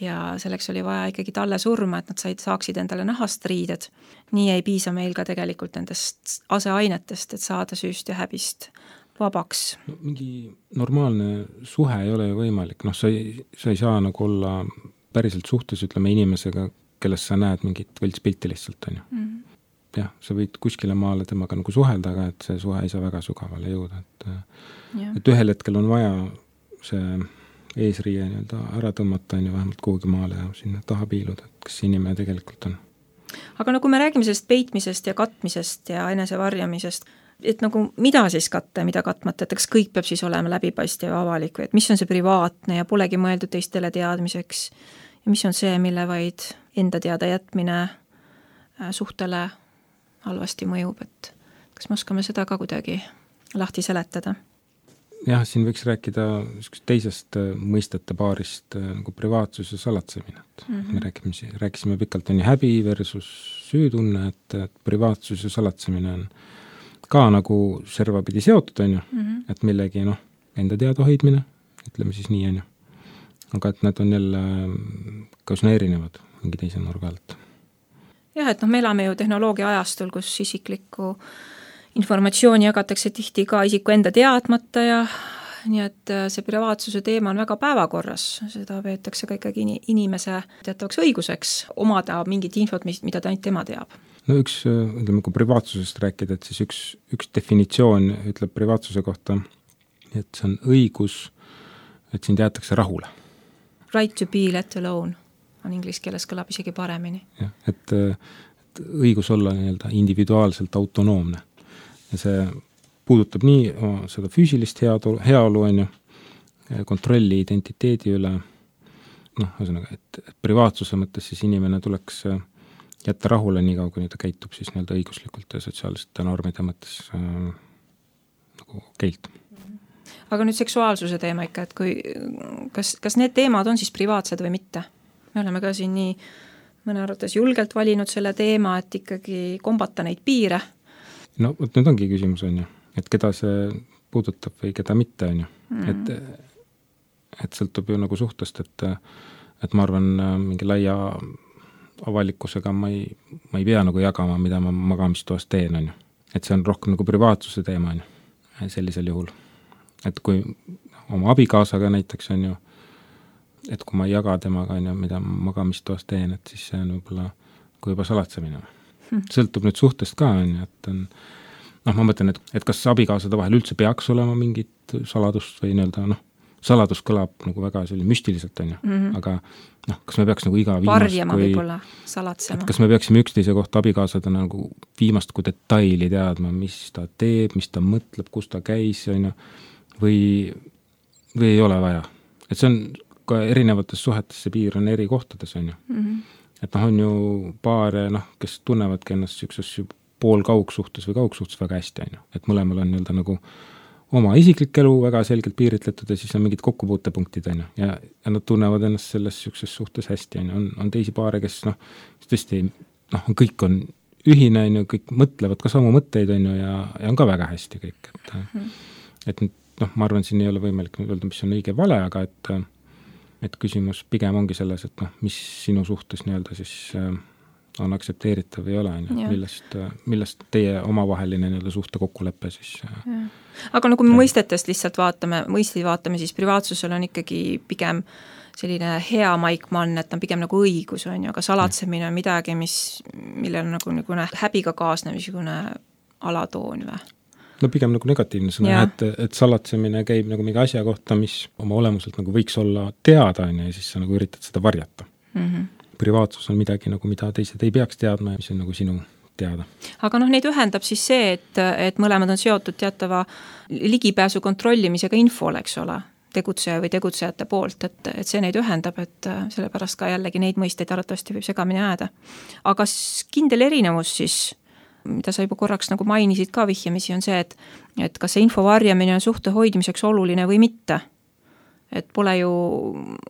S5: ja selleks oli vaja ikkagi talle surma, et nad saaksid endale nahast riided. Nii ei piisa meil ka tegelikult nendest aseainetest, et saada süüst ja häbist vabaks.
S2: No, mingi normaalne suhe ei ole ju võimalik, sa ei saa nagu olla päriselt suhtes, ütleme inimesega, kellest sa näed mingit võltspilti lihtsalt, on ju. Jah, sa võid kuskile maale temaga nagu suhelda, aga et see suhe ei saa väga sügavale jõuda, et ühel hetkel on vaja see eesriie ära tõmmata, on ju, vähemalt kuhugi maale ja sinna taha piiluda, et kas inimene tegelikult on.
S5: Aga kui me räägime sellest peitmisest ja katmisest ja enesevarjamisest, et nagu mida siis katta ja mida katmata, et kas kõik peab siis olema läbipaistev ja avalik või et mis on see privaatne ja polegi mõeldud teistele teadmiseks ja mis on see, mille vaid enda teada jätmine suhtele halvasti mõjub, et kas me oskame seda ka kuidagi lahti seletada?
S2: jah, siin võiks rääkida teisest mõistete paarist nagu privaatsus ja salatsemine. Me rääkisime pikalt on häbi versus süütunne, et privaatsus ja salatsemine on ka nagu servapidi seotud, on ju, et millegi enda teada hoidmine, ütleme siis nii, on ju. Aga et need on jälle kausna erinevad mingi teise nurga alt.
S5: Jah, et me elame ju tehnoloogia ajastul, kus isiklikku informatsiooni jagatakse tihti ka isiku enda teadmata ja nii et see privaatsuse teema on väga päevakorras, seda peetakse ka ikkagi inimese teatavaks õiguseks omada mingit infot, mida ta ainult tema teab.
S2: No ütleme, kui privaatsusest rääkida, et siis üks definitsioon ütleb privaatsuse kohta, et see on õigus, et sind jäetakse rahule.
S5: Right to be let alone on inglise keeles kõlab isegi paremini.
S2: Ja, et õigus olla nii-öelda individuaalselt autonoomne. Ja see puudutab nii seda füüsilist heaolu, on ju, kontrolli identiteedi üle, ühesõnaga, et privaatsuse mõttes siis inimene tuleks jätta rahule nii kaua, kui ta käitub siis nii-öelda õiguslikult ja sotsiaalsete normide mõttes nagu okeilt.
S5: Aga nüüd seksuaalsuse teema ikka, et kas need teemad on siis privaatsed või mitte? Me oleme ka siin nii mõne arvates julgelt valinud selle teema, et ikkagi kombata neid piire.
S2: No, nüüd ongi küsimus, on ju, et keda see puudutab või keda mitte, on ju. Et sõltub ju nagu suhtest, et ma arvan, mingi laia avalikkusega ma ei pea nagu jagama, mida ma magamistoas teen, on ju. Et see on rohkem nagu privaatsuse teema, on ju, sellisel juhul. Et kui oma abikaasaga näiteks on ju, et kui ma ei jaga temaga, on ju, mida magamistoas teen, et siis see on võib-olla kui juba salatsemine. Sõltub nüüd suhtest ka, on ju, et on, ma mõtlen, et kas abikaasade vahel üldse peaks olema mingit saladust või nii-öelda, saladus kõlab nagu väga selline müstiliselt, on ju, aga kas me peaks nagu iga viimast
S5: varjama võib-olla, salatsema.
S2: Kas me peaksime üksteise kohta abikaasada nagu viimast kui detaili teadma, mis ta teeb, mis ta mõtleb, kus ta käis, on ju, või ei ole vaja. Et see on ka erinevates suhetes, see piir on eri kohtades, on ju. Et on ju paare, kes tunnevadki ennast sükses pool kaugsuhtes või kaugsuhtes väga hästi, on ju. Et mõlemal on nii-öelda nagu oma isiklik elu väga selgelt piiritletud ja siis on mingid kokkupuutepunktid, on ju. Ja nad tunnevad ennast selles sükses suhtes hästi, on ju. On teisi paare, kes tõesti, kõik on ühine, on ju, kõik mõtlevad ka samu mõtteid, on ju, ja on ka väga hästi kõik. Et ma arvan, siin ei ole võimalik öelda, mis on õige vale, aga et küsimus pigem ongi selles, et mis sinu suhtes nii-öelda siis on aktsepteeritav või ei ole, millest teie omavaheline nii-öelda suhte kokkulepe siis.
S5: Aga kui me mõistetest lihtsalt vaatame, siis privaatsusel on ikkagi pigem selline hea maikmann, et on pigem nagu õigus, on ju, aga salatsemine on midagi, millel on nagu häbiga kaasnev niisugune alatoon või?
S2: No pigem nagu negatiivne sõna, et salatsemine käib nagu mingi asja kohta, mis oma olemuselt nagu võiks olla teada, ja siis sa nagu üritad seda varjata. Privaatsus on midagi nagu, mida teised ei peaks teadma ja mis on nagu sinu teada. Aga
S5: neid ühendab siis see, et mõlemad on seotud teatava ligipääsu kontrollimisega infole, eks ole, tegutseja või tegutsejate poolt, et see neid ühendab, et sellepärast ka jällegi neid mõisteid arvatavasti võib segamini jääda. Aga kindel erinevus siis, mida sa juba korraks nagu mainisid ka vihjamisi, on see, et kas see info varjamine on suhte hoidmiseks oluline või mitte. Et pole ju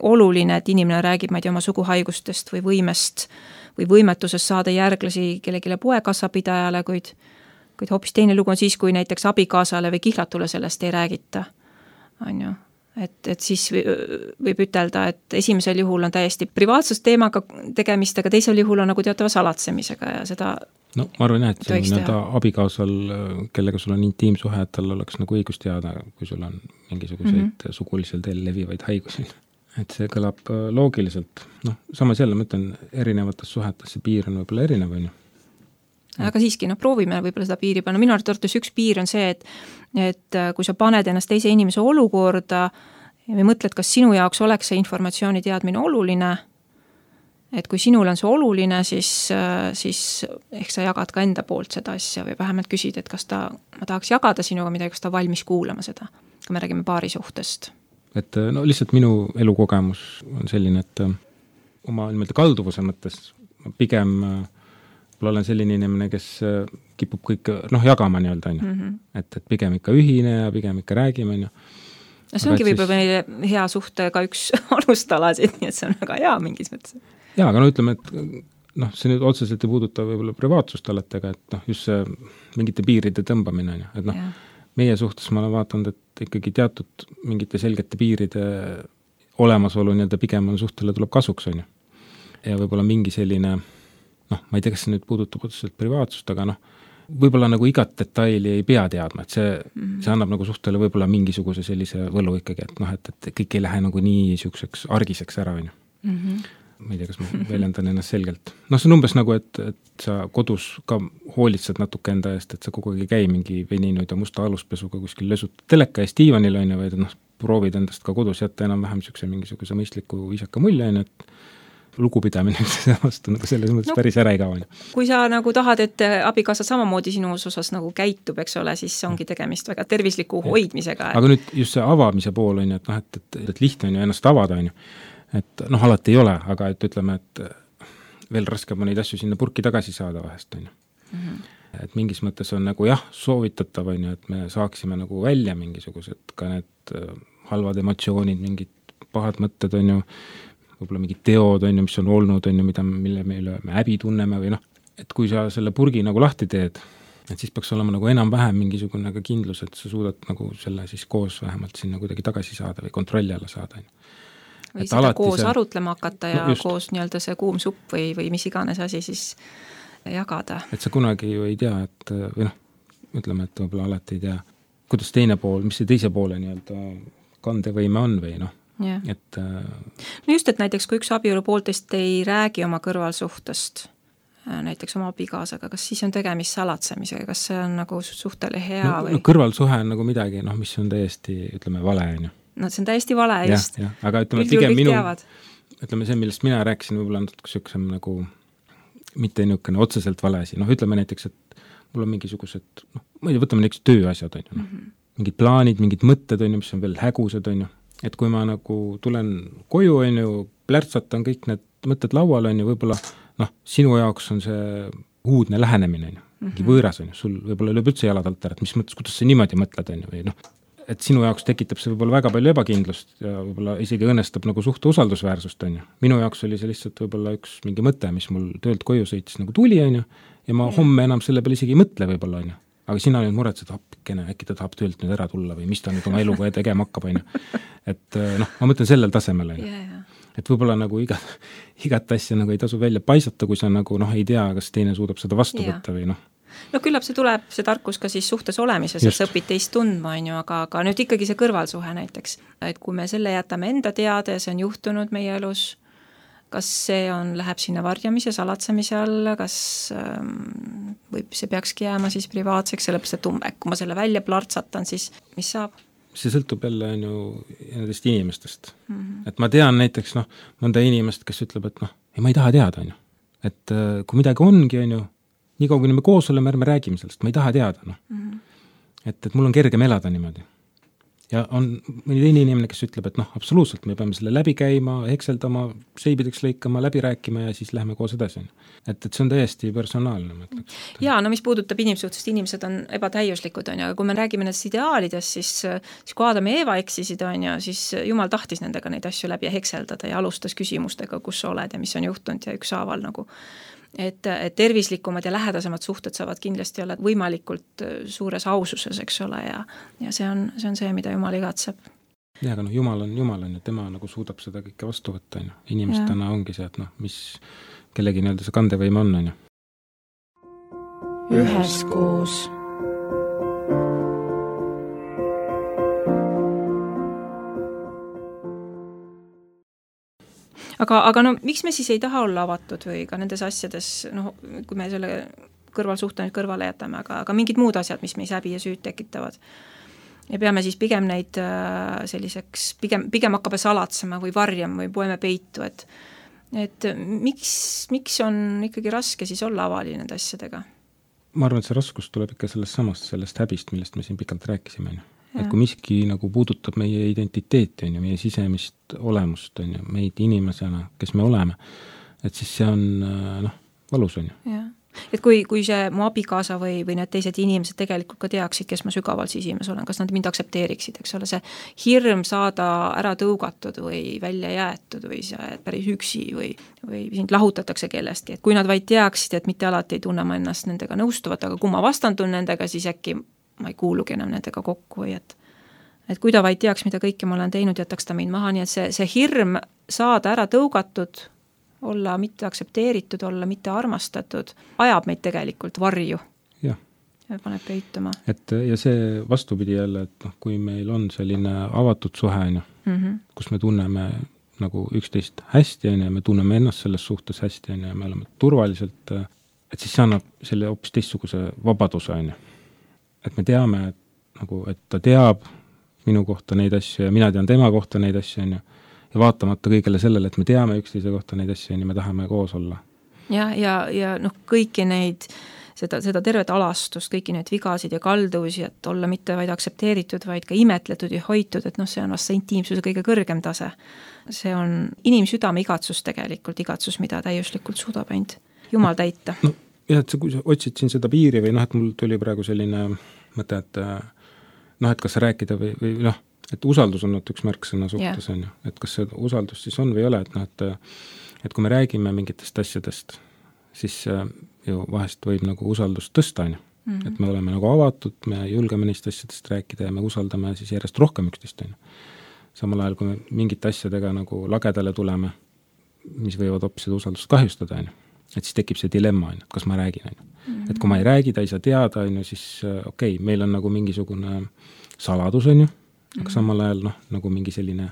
S5: oluline, et inimene räägib oma suguhaigustest või võimest või võimetusest saada järglasi kellegile poekassapidajale, kuid hoopis teine lugu on siis, kui näiteks abikaasale või kihlatule sellest ei räägita. On ju. Et siis võib ütelda, et esimesel juhul on täiesti privaatsusteemaga tegemist, aga teisel juhul on nagu teatava salatsemisega ja seda
S2: ma arvan jah, et see abikaasal, kellega sul on intiimsuhe, et tal oleks nagu õigus teada, kui sul on mingisuguseid sugulisel teel levivaid haigusi. Et see kõlab loogiliselt. Samas jälle ma ütlen, erinevates suhetes see piir on võib-olla erinev, on ju.
S5: Aga siiski, proovime võib-olla seda piiri panna. Minu arvates üks piir on see, et kui sa paned ennast teise inimese olukorda ja mõtled, kas sinu jaoks oleks see informatsiooni teadmine oluline, et kui sinul on see oluline, siis ehk sa jagad ka enda poolt seda asja või vähemalt küsid, et kas ma tahaks jagada sinuga midagi, kas ta valmis kuulama seda, kui me räägime paari suhtest. Et
S2: lihtsalt minu elukogemus on selline, et oma kalduvuse mõttes pigem olen selline inimene, kes kipub kõik jagama nii-öelda, on ju. Et pigem ikka ühine ja pigem ikka räägime, on ju.
S5: No see ongi võib-olla meile hea suhtega üks alustalasid, nii et see on väga hea mingis mõttes.
S2: Jaa, aga no ütleme, et noh, see nüüd otseselt ei puuduta võib-olla privaatsust alati, aga et noh, just see mingite piiride tõmbamine, et noh, meie suhtes ma olen vaatanud, et ikkagi teatud mingite selgete piiride olemasolu nii-öelda pigem on suhtele tuleb kasuks, on ju. Ja võib-olla mingi selline, noh, ma ei tea, kas see nüüd puudutab otseselt privaatsust, aga noh, võib-olla nagu igat detaili ei pea teadma, et see annab nagu suhtele võib-olla mingisuguse sellise võlu ikkagi, et noh, et kõik ei lähe nagu nii siukseks argiseks ära, on ju. Ma ei tea, kas ma väljendan ennast selgelt. Noh, see on umbes nagu, et sa kodus ka hoolitsed natuke enda eest, et sa kogu aeg ei käi mingi veninud ja musta aluspesuga kuskil lösud teleka eest diivanil, on ju, vaid noh, proovid endast ka kodus jätta enam-vähem siukse mingisuguse mõistliku viisaka mulje, on ju, et lugupidamine vastu nagu selles mõttes päris ära ei kao.
S5: Kui sa nagu tahad, et abikaasa samamoodi sinu osas nagu käitub, eks ole, siis ongi tegemist väga tervisliku hoidmisega.
S2: Aga nüüd just see avamise pool on ju, et noh, et lihtne on ju ennast avada, on ju. Et noh, alati ei ole, aga et ütleme, et veel raskeb on neid asju sinna purki tagasi saada vahest, on ju. Et mingis mõttes on nagu jah, soovitatav on ju, et me saaksime nagu välja mingisugused ka need halvad emotsioonid, mingid pahad mõtted on ju, võib-olla mingid teod on ju, mis on olnud, on ju, mille meile me häbi tunneme või noh, et kui sa selle purgi nagu lahti teed, et siis peaks olema nagu enam-vähem mingisugune ka kindlus, et sa suudad nagu selle siis koos vähemalt sinna kuidagi tagasi saada või kontrolli alla saada.
S5: Või et seda koos arutlema hakata ja koos nii-öelda see kuum supp või mis iganes asi siis jagada. Et
S2: sa kunagi ju ei tea, et või noh, ütleme, et võib-olla alati ei tea, kuidas teine pool, mis see teise poole nii-öelda kandevõime on või noh.
S5: Ja.
S2: Et
S5: no just, et näiteks kui üks abielu pooltest ei räägi oma kõrvalsuhtest, näiteks oma abikaasaga, kas siis on tegemist salatsemisega, kas see on nagu suhtele hea
S2: no,
S5: või?
S2: No kõrvalsuhe on nagu midagi, noh, mis on täiesti, ütleme, vale, on ju.
S5: No see on täiesti vale, just.
S2: Ja, aga ütleme, pigem minu, ütleme see, millest mina rääkisin, võib-olla on siuksem nagu mitte niisugune otseselt vale asi, noh, ütleme näiteks, et mul on mingisugused, noh, ma ei tea, võtame näiteks tööasjad, on ju, noh. Mingid plaanid, mingid mõtted, on ju, mis on veel hägused, on ju. Et kui ma nagu tulen koju, on ju, plärtsatan kõik need mõtted laual, on ju, võib-olla, noh, sinu jaoks on see uudne lähenemine, on ju, mingi võõras, on ju, sul võib-olla lööb üldse jalad alt ära, et mis mõttes, kuidas sa niimoodi mõtled, on ju, või noh, et sinu jaoks tekitab see võib-olla väga palju ebakindlust ja võib-olla isegi õnnestab nagu suhte usaldusväärsust, on ju. Minu jaoks oli see lihtsalt võib-olla üks mingi mõte, mis mul töölt koju sõitis nagu tuli, on ju, ja ma homme enam selle peale isegi ei mõtle võib-olla, on ju. Aga sina nüüd muretsed, appikene, äkki ta tahab töölt nüüd ära tulla või mis ta nüüd oma eluga tegema hakkab, on ju. Et noh, ma mõtlen sellel tasemel, on ju. Et võib-olla nagu igat asja nagu ei tasu välja paisata, kui sa nagu noh, ei tea, kas teine suudab seda vastu võtta või noh.
S5: No küllap see tuleb, see tarkus ka siis suhtes olemises, et sa õpid teist tundma, on ju, aga nüüd ikkagi see kõrvalsuhe näiteks, et kui me selle jätame enda teada ja see on juhtunud meie elus, kas see läheb sinna varjamise, salatsemise alla, kas või see peakski jääma siis privaatseks, sellepärast, et kui ma selle välja plartsatan, siis mis saab?
S2: See sõltub jälle on ju nendest inimestest. Et ma tean näiteks noh, mõnda inimest, kes ütleb, et noh, ma ei taha teada, on ju. Et kui midagi ongi, on ju, nii kaua, kui me koos oleme, ärme räägime sellest, ma ei taha teada, noh. Et mul on kergem elada niimoodi. Ja on mõni teine inimene, kes ütleb, et noh, absoluutselt, me peame selle läbi käima, hekseldama, seibideks lõikama, läbi rääkima ja siis lähme koos edasi. Et see on täiesti personaalne, ma ütleks.
S5: Jaa, no mis puudutab inimsuhtest, inimesed on ebatäiuslikud, on ju, aga kui me räägime nendest ideaalidest, siis kui Aadam ja Eeva eksisid, on ju, siis Jumal tahtis nendega neid asju läbi hekseldada ja alustas küsimustega, kus sa oled ja mis on juhtunud ja ükshaaval nagu et tervislikumad ja lähedasemad suhted saavad kindlasti olla võimalikult suures aususes, eks ole, ja see on see, mida Jumal igatseb.
S2: Ja, aga noh, Jumal on ja tema nagu suudab seda kõike vastu võtta, on ju. Inimestena ongi see, et noh, mis kellegi nii-öelda see kandevõime on ju.
S1: Üheskoos.
S5: Aga no miks me siis ei taha olla avatud või ka nendes asjades, noh, kui me selle kõrvalsuhte kõrvale jätame, aga mingid muud asjad, mis meis häbi ja süüd tekitavad. Ja peame siis pigem neid selliseks, pigem hakkame salatsema või varjama või poeme peitu, et miks on ikkagi raske siis olla avali nende asjadega?
S2: Ma arvan, et see raskus tuleb ikka sellest häbist, millest me siin pikalt rääkisime. Et kui miski nagu puudutab meie identiteeti, on ju, meie sisemist olemust, on ju, meid inimesena, kes me oleme, et siis see on noh, valus, on ju.
S5: Et kui see mu abikaasa või need teised inimesed tegelikult ka teaksid, kes ma sügaval sisimas olen, kas nad mind aktsepteeriksid, eks ole, see hirm saada ära tõugatud või välja jäetud või sa päris üksi või sind lahutatakse kellestki, et kui nad vaid teaksid, et mitte alati ei tunne ma ennast nendega nõustuvat, aga kui ma vastandun nendega, siis äkki ma ei kuulugi enam nendega kokku või et kui ta vaid teaks, mida kõike ma olen teinud, jätaks ta mind maha, nii et see hirm saada ära tõugatud, olla mitte aktsepteeritud, olla mitte armastatud, ajab meid tegelikult varju.
S2: Jah.
S5: Ja paneb peituma.
S2: Ja see vastupidi jälle, et kui meil on selline avatud suhe, kus me tunneme nagu üksteist hästi, ja me tunneme ennast selles suhtes hästi, ja me oleme turvaliselt, et siis see annab selle hoopis teistsuguse vabaduse, et me teame, et ta teab minu kohta neid asju ja mina tean tema kohta neid asju, ja vaatamata kõigele sellele, et me teame üksteise kohta neid asju, me tahame koos olla.
S5: Ja kõiki neid, seda tervet alastust, kõiki neid vigasid ja kaldusi, et olla mitte vaid aktsepteeritud, vaid ka imetletud ja hoitud, et see on vast see intiimsuse kõige kõrgem tase. See on inimsüdame igatsus tegelikult, igatsus, mida täiuslikult suudab ainult Jumal täita.
S2: Jah, et kui sa otsid siin seda piiri või et mul tuli praegu selline mõte, et kas rääkida või et usaldus on üks märksõna suhtes, et kas see usaldus siis on või ei ole, et kui me räägime mingitest asjadest, siis ju vahest võib nagu usaldust tõsta, et me oleme nagu avatud, me julgeme neist asjadest rääkida ja me usaldame siis järjest rohkem üksteist. Samal ajal, kui me mingite asjadega nagu lagedale tuleme, mis võivad hoopis seda usaldust kahjustada, et siis tekib see dilemma, et kas ma räägin. Et kui ma ei räägi, ta ei saa teada, siis okei, meil on nagu mingisugune saladus, aga samal ajal nagu mingi selline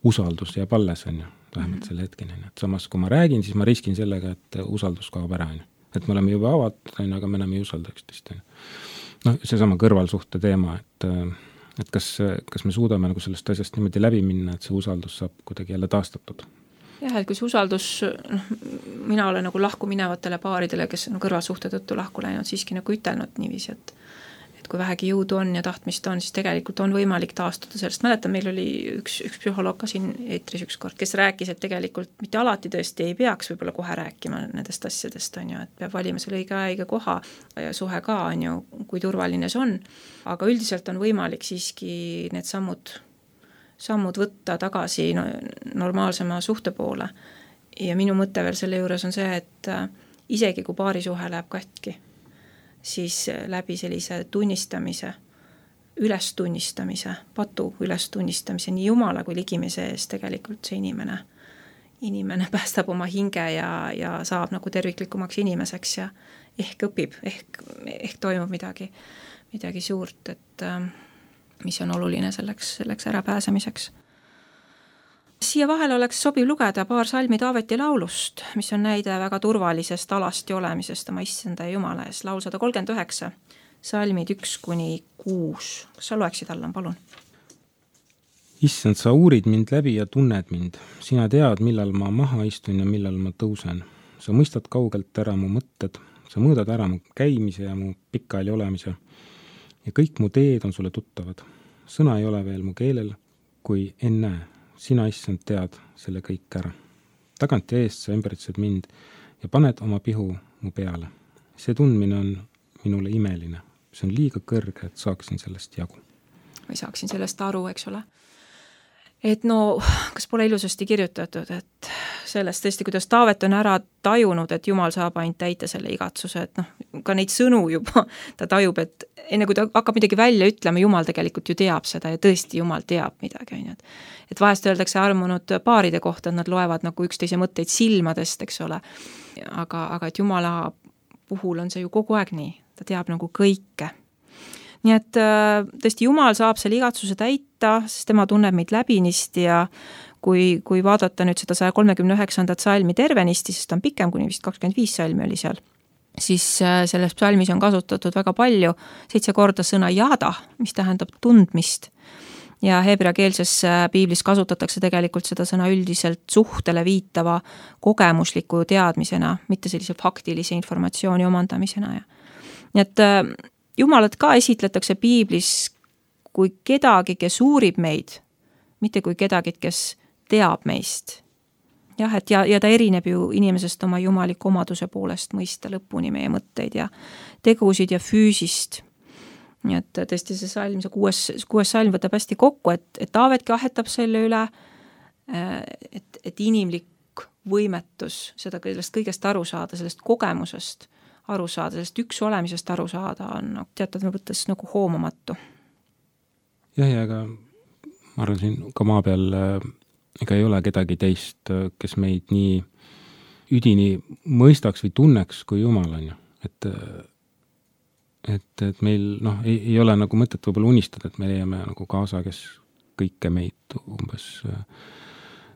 S2: usaldus jääb alles, vähemalt selle hetkeni. Et samas, kui ma räägin, siis ma riskin sellega, et usaldus kaob ära. Et me oleme juba avatud, aga me enam ei usalda üksteist. Seesama kõrvalsuhte teema, et kas me suudame nagu sellest asjast niimoodi läbi minna, et see usaldus saab kuidagi jälle taastatud.
S5: Jah, et kui see usaldus, mina olen nagu lahku minevatele paaridele, kes on kõrvalsuhte tõttu lahku läinud, siiski nagu ütelnud niiviisi, et kui vähegi jõudu on ja tahtmist on, siis tegelikult on võimalik taastuda sellest. Mäletan, meil oli üks psühholoog ka siin eetris üks kord, kes rääkis, et tegelikult mitte alati tõesti ei peaks võib-olla kohe rääkima nendest asjadest, et peab valima selle õige koha ja suhe ka, kui turvaline see on. Aga üldiselt on võimalik siiski need sammud võtta tagasi normaalsema suhte poole. Ja minu mõte veel selle juures on see, et isegi kui paarisuhe läheb katki, siis läbi sellise tunnistamise, ülestunnistamise, patu ülestunnistamise nii Jumala kui ligimise ees tegelikult see inimene päästab oma hinge ja saab nagu terviklikumaks inimeseks ja ehk õpib, ehk toimub midagi suurt, et mis on oluline selleks ärapääsemiseks. Siia vahel oleks sobiv lugeda paar salmi Taaveti laulust, mis on näide väga turvalisest alasti olemisest oma issanda ja Jumala ees. Laul 139, salmid 1-6. Kas sa loeksid, Allan, palun?
S2: Issand, sa uurid mind läbi ja tunned mind. Sina tead, millal ma maha istun ja millal ma tõusen. Sa mõistad kaugelt ära mu mõtted. Sa mõõdad ära mu käimise ja mu pikali olemise. Ja kõik mu teed on sulle tuttavad. Sõna ei ole veel mu keelel, kui enne. Sina, issand, tead selle kõik ära. Tagant ja eest sa ümbritsed mind ja paned oma pihu mu peale. See tundmine on minule imeline. See on liiga kõrge, et saaksin sellest jagu.
S5: Või saaksin sellest aru, eks ole. Et kas pole ilusasti kirjutatud, et sellest tõesti, kuidas Taavet on ära tajunud, et Jumal saab ainult täita selle igatsuse, et ka neid sõnu juba ta tajub, et enne kui ta hakkab midagi välja ütlema, Jumal tegelikult ju teab seda ja tõesti Jumal teab midagi. Et vahest öeldakse armunud paaride kohta, et nad loevad nagu üksteise mõtteid silmadest, eks ole. Aga et Jumala puhul on see ju kogu aeg nii, ta teab nagu kõike. Nii et tõesti Jumal saab selle igatsuse täita, sest tema tunneb meid läbinisti ja kui vaadata nüüd seda 139. salmi tervenisti, sest ta on pikem, kuni vist 25 salmi oli seal, siis selles salmis on kasutatud väga palju 7 korda sõna jada, mis tähendab tundmist. Ja heebreakeelses piiblis kasutatakse tegelikult seda sõna üldiselt suhtele viitava kogemusliku teadmisena, mitte sellise faktilise informatsiooni omandamisena. Nii et Jumalat ka esitletakse piiblis kui kedagi, kes uurib meid, mitte kui kedagi, kes teab meist. jah, et ja ta erineb ju inimesest oma jumaliku omaduse poolest mõista lõpuni meie mõtteid ja tegusid ja füüsist. Nii et tõesti see salm, see kuues salm võtab hästi kokku, et Taavetki ahetab selle üle, et inimlik võimetus seda sellest kõigest aru saada, sellest kogemusest aru saada, sellest üks olemisest aru saada on teatud mõttes nagu hoomamatu.
S2: Jah, ja aga ma arvan siin ka maa peal ega ei ole kedagi teist, kes meid nii üdini mõistaks või tunneks kui Jumal on ju. Et meil ei ole nagu mõtet võib-olla unistada, et me leiame nagu kaasa, kes kõike meid umbes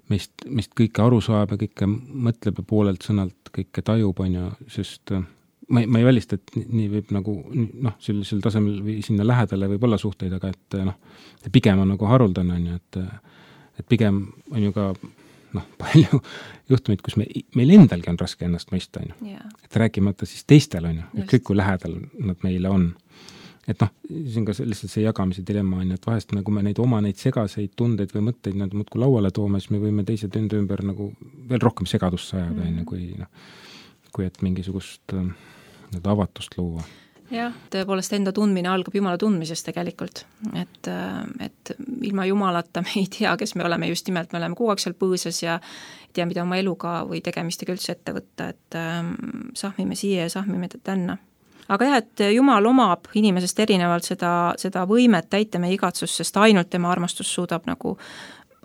S2: meist kõike aru saab ja kõike mõtleb ja poolelt sõnalt kõike tajub on ju, sest ma ei välista, et nii võib nagu sellisel tasemel või sinna lähedale võib olla suhteid, aga et pigem on nagu haruldane on ju, et pigem on ju ka palju juhtumid, kus meil endalgi on raske ennast mõista on ju, et rääkimata siis teistel on ju, kõik kui lähedal nad meile on. Et siin ka lihtsalt see jagamise dilemma on, et vahest nagu me neid segaseid tundeid või mõtteid nad muudkui lauale toome, siis me võime teise tünde ümber nagu veel rohkem segadust sajada enne, kui et mingisugust avatust luua. Jah,
S5: tõepoolest enda tundmine algab Jumala tundmisest tegelikult, et ilma Jumalata me ei tea, kes me oleme, just nimelt me oleme kogu aeg seal põõsas ja ei tea, mida oma eluga või tegemistega üldse ette võtta, et sahmime siia ja sahmime tänna. Aga jah, et Jumal omab inimesest erinevalt seda võimet täita meie igatsust, sest ainult tema armastus suudab nagu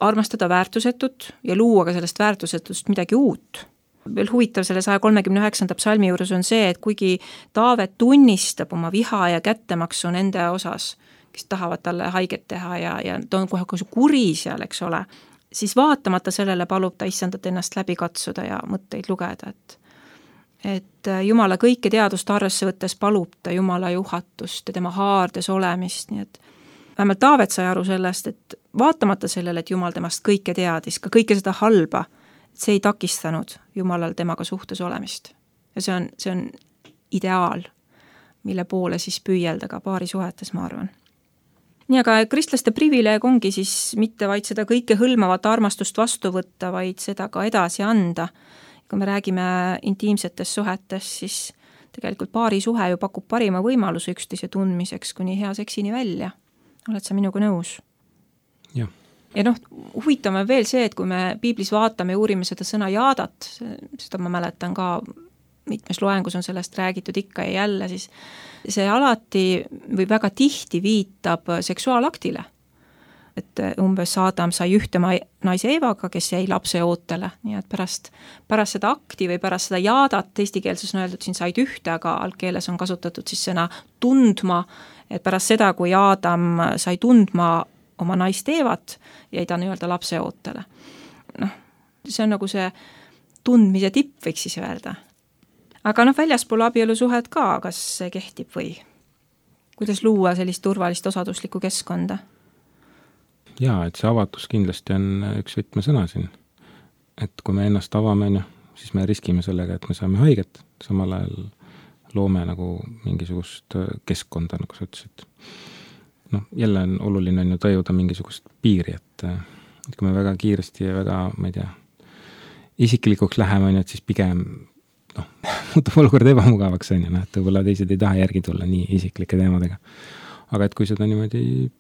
S5: armastada väärtusetut ja luua ka sellest väärtusetust midagi uut. Veel huvitav selle 139. psalmi juures on see, et kuigi Taavet tunnistab oma viha ja kättemaksu nende osas, kes tahavad talle haiget teha ja ta on kohe kuri seal, eks ole, siis vaatamata sellele palub ta issandat ennast läbi katsuda ja mõtteid lugeda, et Jumala kõike teadust arvesse võttes palub ta Jumala juhatust ja tema haardes olemist, nii et vähemalt Taavet sai aru sellest, et vaatamata sellele, et Jumal temast kõike teadis, ka kõike seda halba, see ei takistanud Jumalal temaga suhtes olemist. Ja see on ideaal, mille poole siis püüelda ka paari suhetes, ma arvan. Nii, aga kristlaste privileeg ongi siis mitte vaid seda kõike hõlmavat armastust vastu võtta, vaid seda ka edasi anda. Kui me räägime intiimsetes suhetes, siis tegelikult paari suhe ju pakub parima võimaluse üksteise tundmiseks kuni hea seksini välja. Oled sa minuga nõus?
S2: Jah.
S5: Ja huvitav on veel see, et kui me piiblis vaatame ja uurime seda sõna jaadat, seda ma mäletan ka, mitmes loengus on sellest räägitud ikka ja jälle, siis see alati või väga tihti viitab seksuaalaktile. Et umbes Adam sai ühte naise Eevaga, kes jäi lapse ootele, nii et pärast seda akti või pärast seda jaadat, eestikeelses on öeldud, siin said ühte, aga algkeeles on kasutatud siis sõna tundma, et pärast seda, kui Adam sai tundma oma naist Eevat, jäi ta nii-öelda lapse ootele. See on nagu see tundmise tipp, võiks siis öelda. Aga väljaspool abielusuhet ka, kas see kehtib või? Kuidas luua sellist turvalist osaduslikku keskkonda?
S2: Jaa, et see avatus kindlasti on üks võtmesõna siin. Et kui me ennast avame, siis me riskime sellega, et me saame haiget, samal ajal loome nagu mingisugust keskkonda, nagu sa ütlesid. Jälle on oluline on ju tajuda mingisugust piiri, et kui me väga kiiresti ja väga, ma ei tea, isiklikuks läheme, et siis pigem muutub olukord ebamugavaks, et võib-olla teised ei taha järgi tulla nii isiklike teemadega. Aga et kui seda niimoodi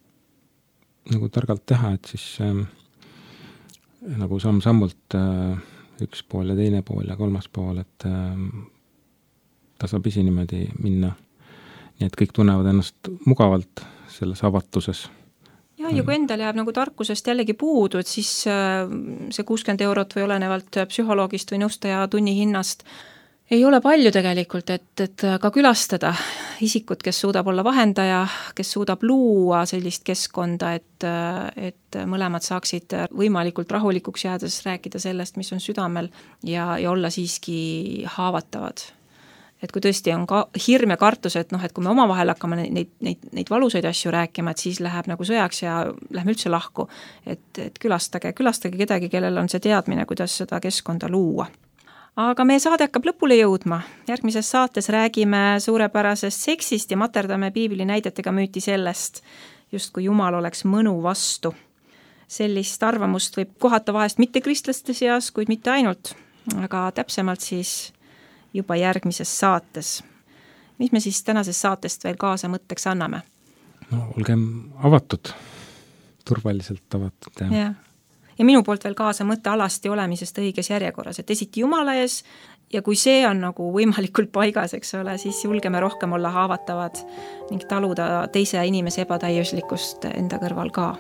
S2: nagu targalt teha, et siis nagu samm-sammult üks pool ja teine pool ja kolmas pool, et tasapisi niimoodi minna. Nii et kõik tunnevad ennast mugavalt selles avatuses.
S5: Ja kui endal jääb nagu tarkusest jällegi puudu, et siis see 60 eurot või olenevalt psühholoogist või nõustaja tunni hinnast ei ole palju tegelikult, et ka külastada isikut, kes suudab olla vahendaja, kes suudab luua sellist keskkonda, et mõlemad saaksid võimalikult rahulikuks jäädes rääkida sellest, mis on südamel ja olla siiski haavatavad. Et kui tõesti on ka hirm ja kartus, et kui me omavahel hakkame neid valusaid asju rääkima, et siis läheb nagu sõjaks ja lähme üldse lahku, et külastage kedagi, kellel on see teadmine, kuidas seda keskkonda luua. Aga meie saade hakkab lõpule jõudma. Järgmises saates räägime suurepärasest seksist ja materdame piibli näidetega müüti sellest, just kui Jumal oleks mõnu vastu. sellist arvamust võib kohata vahest mittekristlaste seas, kuid mitte ainult, aga täpsemalt siis juba järgmises saates. Mis me siis tänasest saatest veel kaasa mõtteks anname?
S2: No olgem avatud, turvaliselt avatud.
S5: Ja minu poolt veel kaasa mõtte alasti olemisest õiges järjekorras, et esiti Jumala ees ja kui see on nagu võimalikult paigas, eks ole, siis julgeme rohkem olla haavatavad ning taluda teise inimese ebatäiuslikkust enda kõrval ka.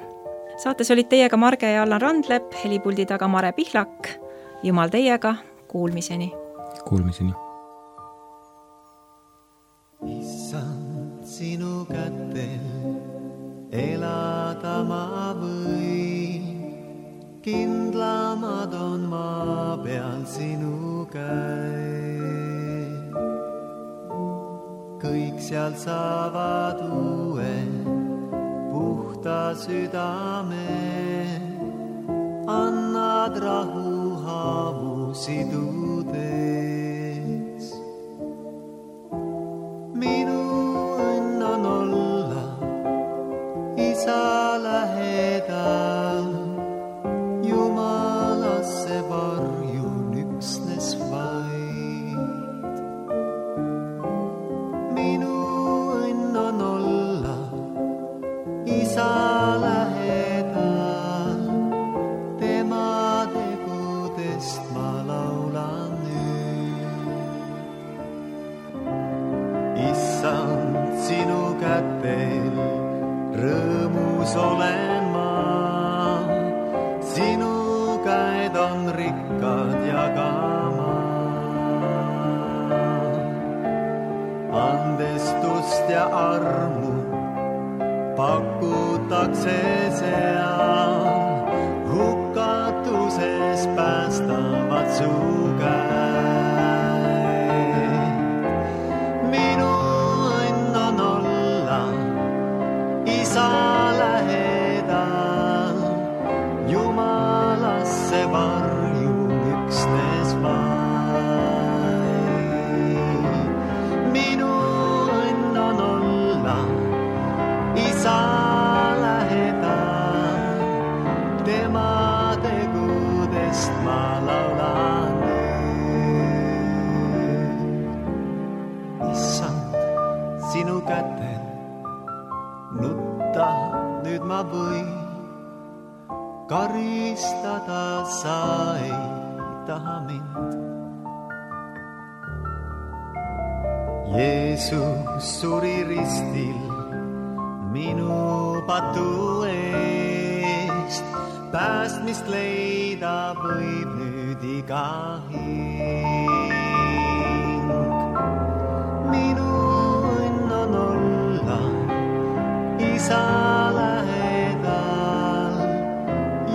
S5: Saates olid teiega Marge ja Allan Randlepp, helipuldi taga Mare Pihlak. Jumal teiega, kuulmiseni.
S2: Kuulmiseni.
S6: Issand, sinu kätel elada ma võin. Kindlamad on maa peal sinu käe. Kõik seal saavad uue, puhta südame. Annad rahu haavu sidudes. Minu õnn on olla isa lähedal. Jumalasse varjun üksnes vaid. Minu õnn on olla isa lähedal. Tema tegudest ma laulan nüüd. Issand, sinu kätel rõõmus olen ma. Sinu käed on rikkad jagama. Andestust ja armu pakutakse seal. Hukatuses päästavad su käed. Minu õnn on olla isa lähedal. Jumalasse varjun üksnes vaid. Minu õnn on olla isa lähedal. Tema tegudest ma laulan nüüd. Issand, sinu kätel nutta nüüd ma võin. Karistada sa ei taha mind. Jeesus suri ristil minu patu eest. Päästmist leida võib nüüd iga hing. Minu õnn on olla isa lähedal.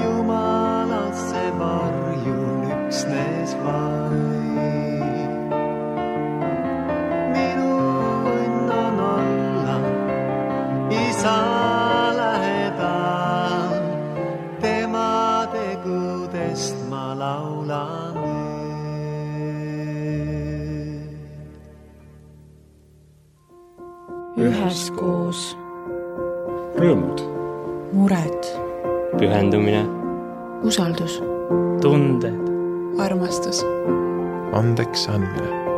S6: Jumalasse varjun üksnes vaid. Minu õnn on olla isa lähedal. Tema tegudest ma laulan nüüd.
S1: Üheskoos.
S2: Rõõmud.
S1: Mured.
S3: Pühendumine.
S1: Usaldus.
S3: Tunded.
S1: Armastus.
S4: Andeks andmine.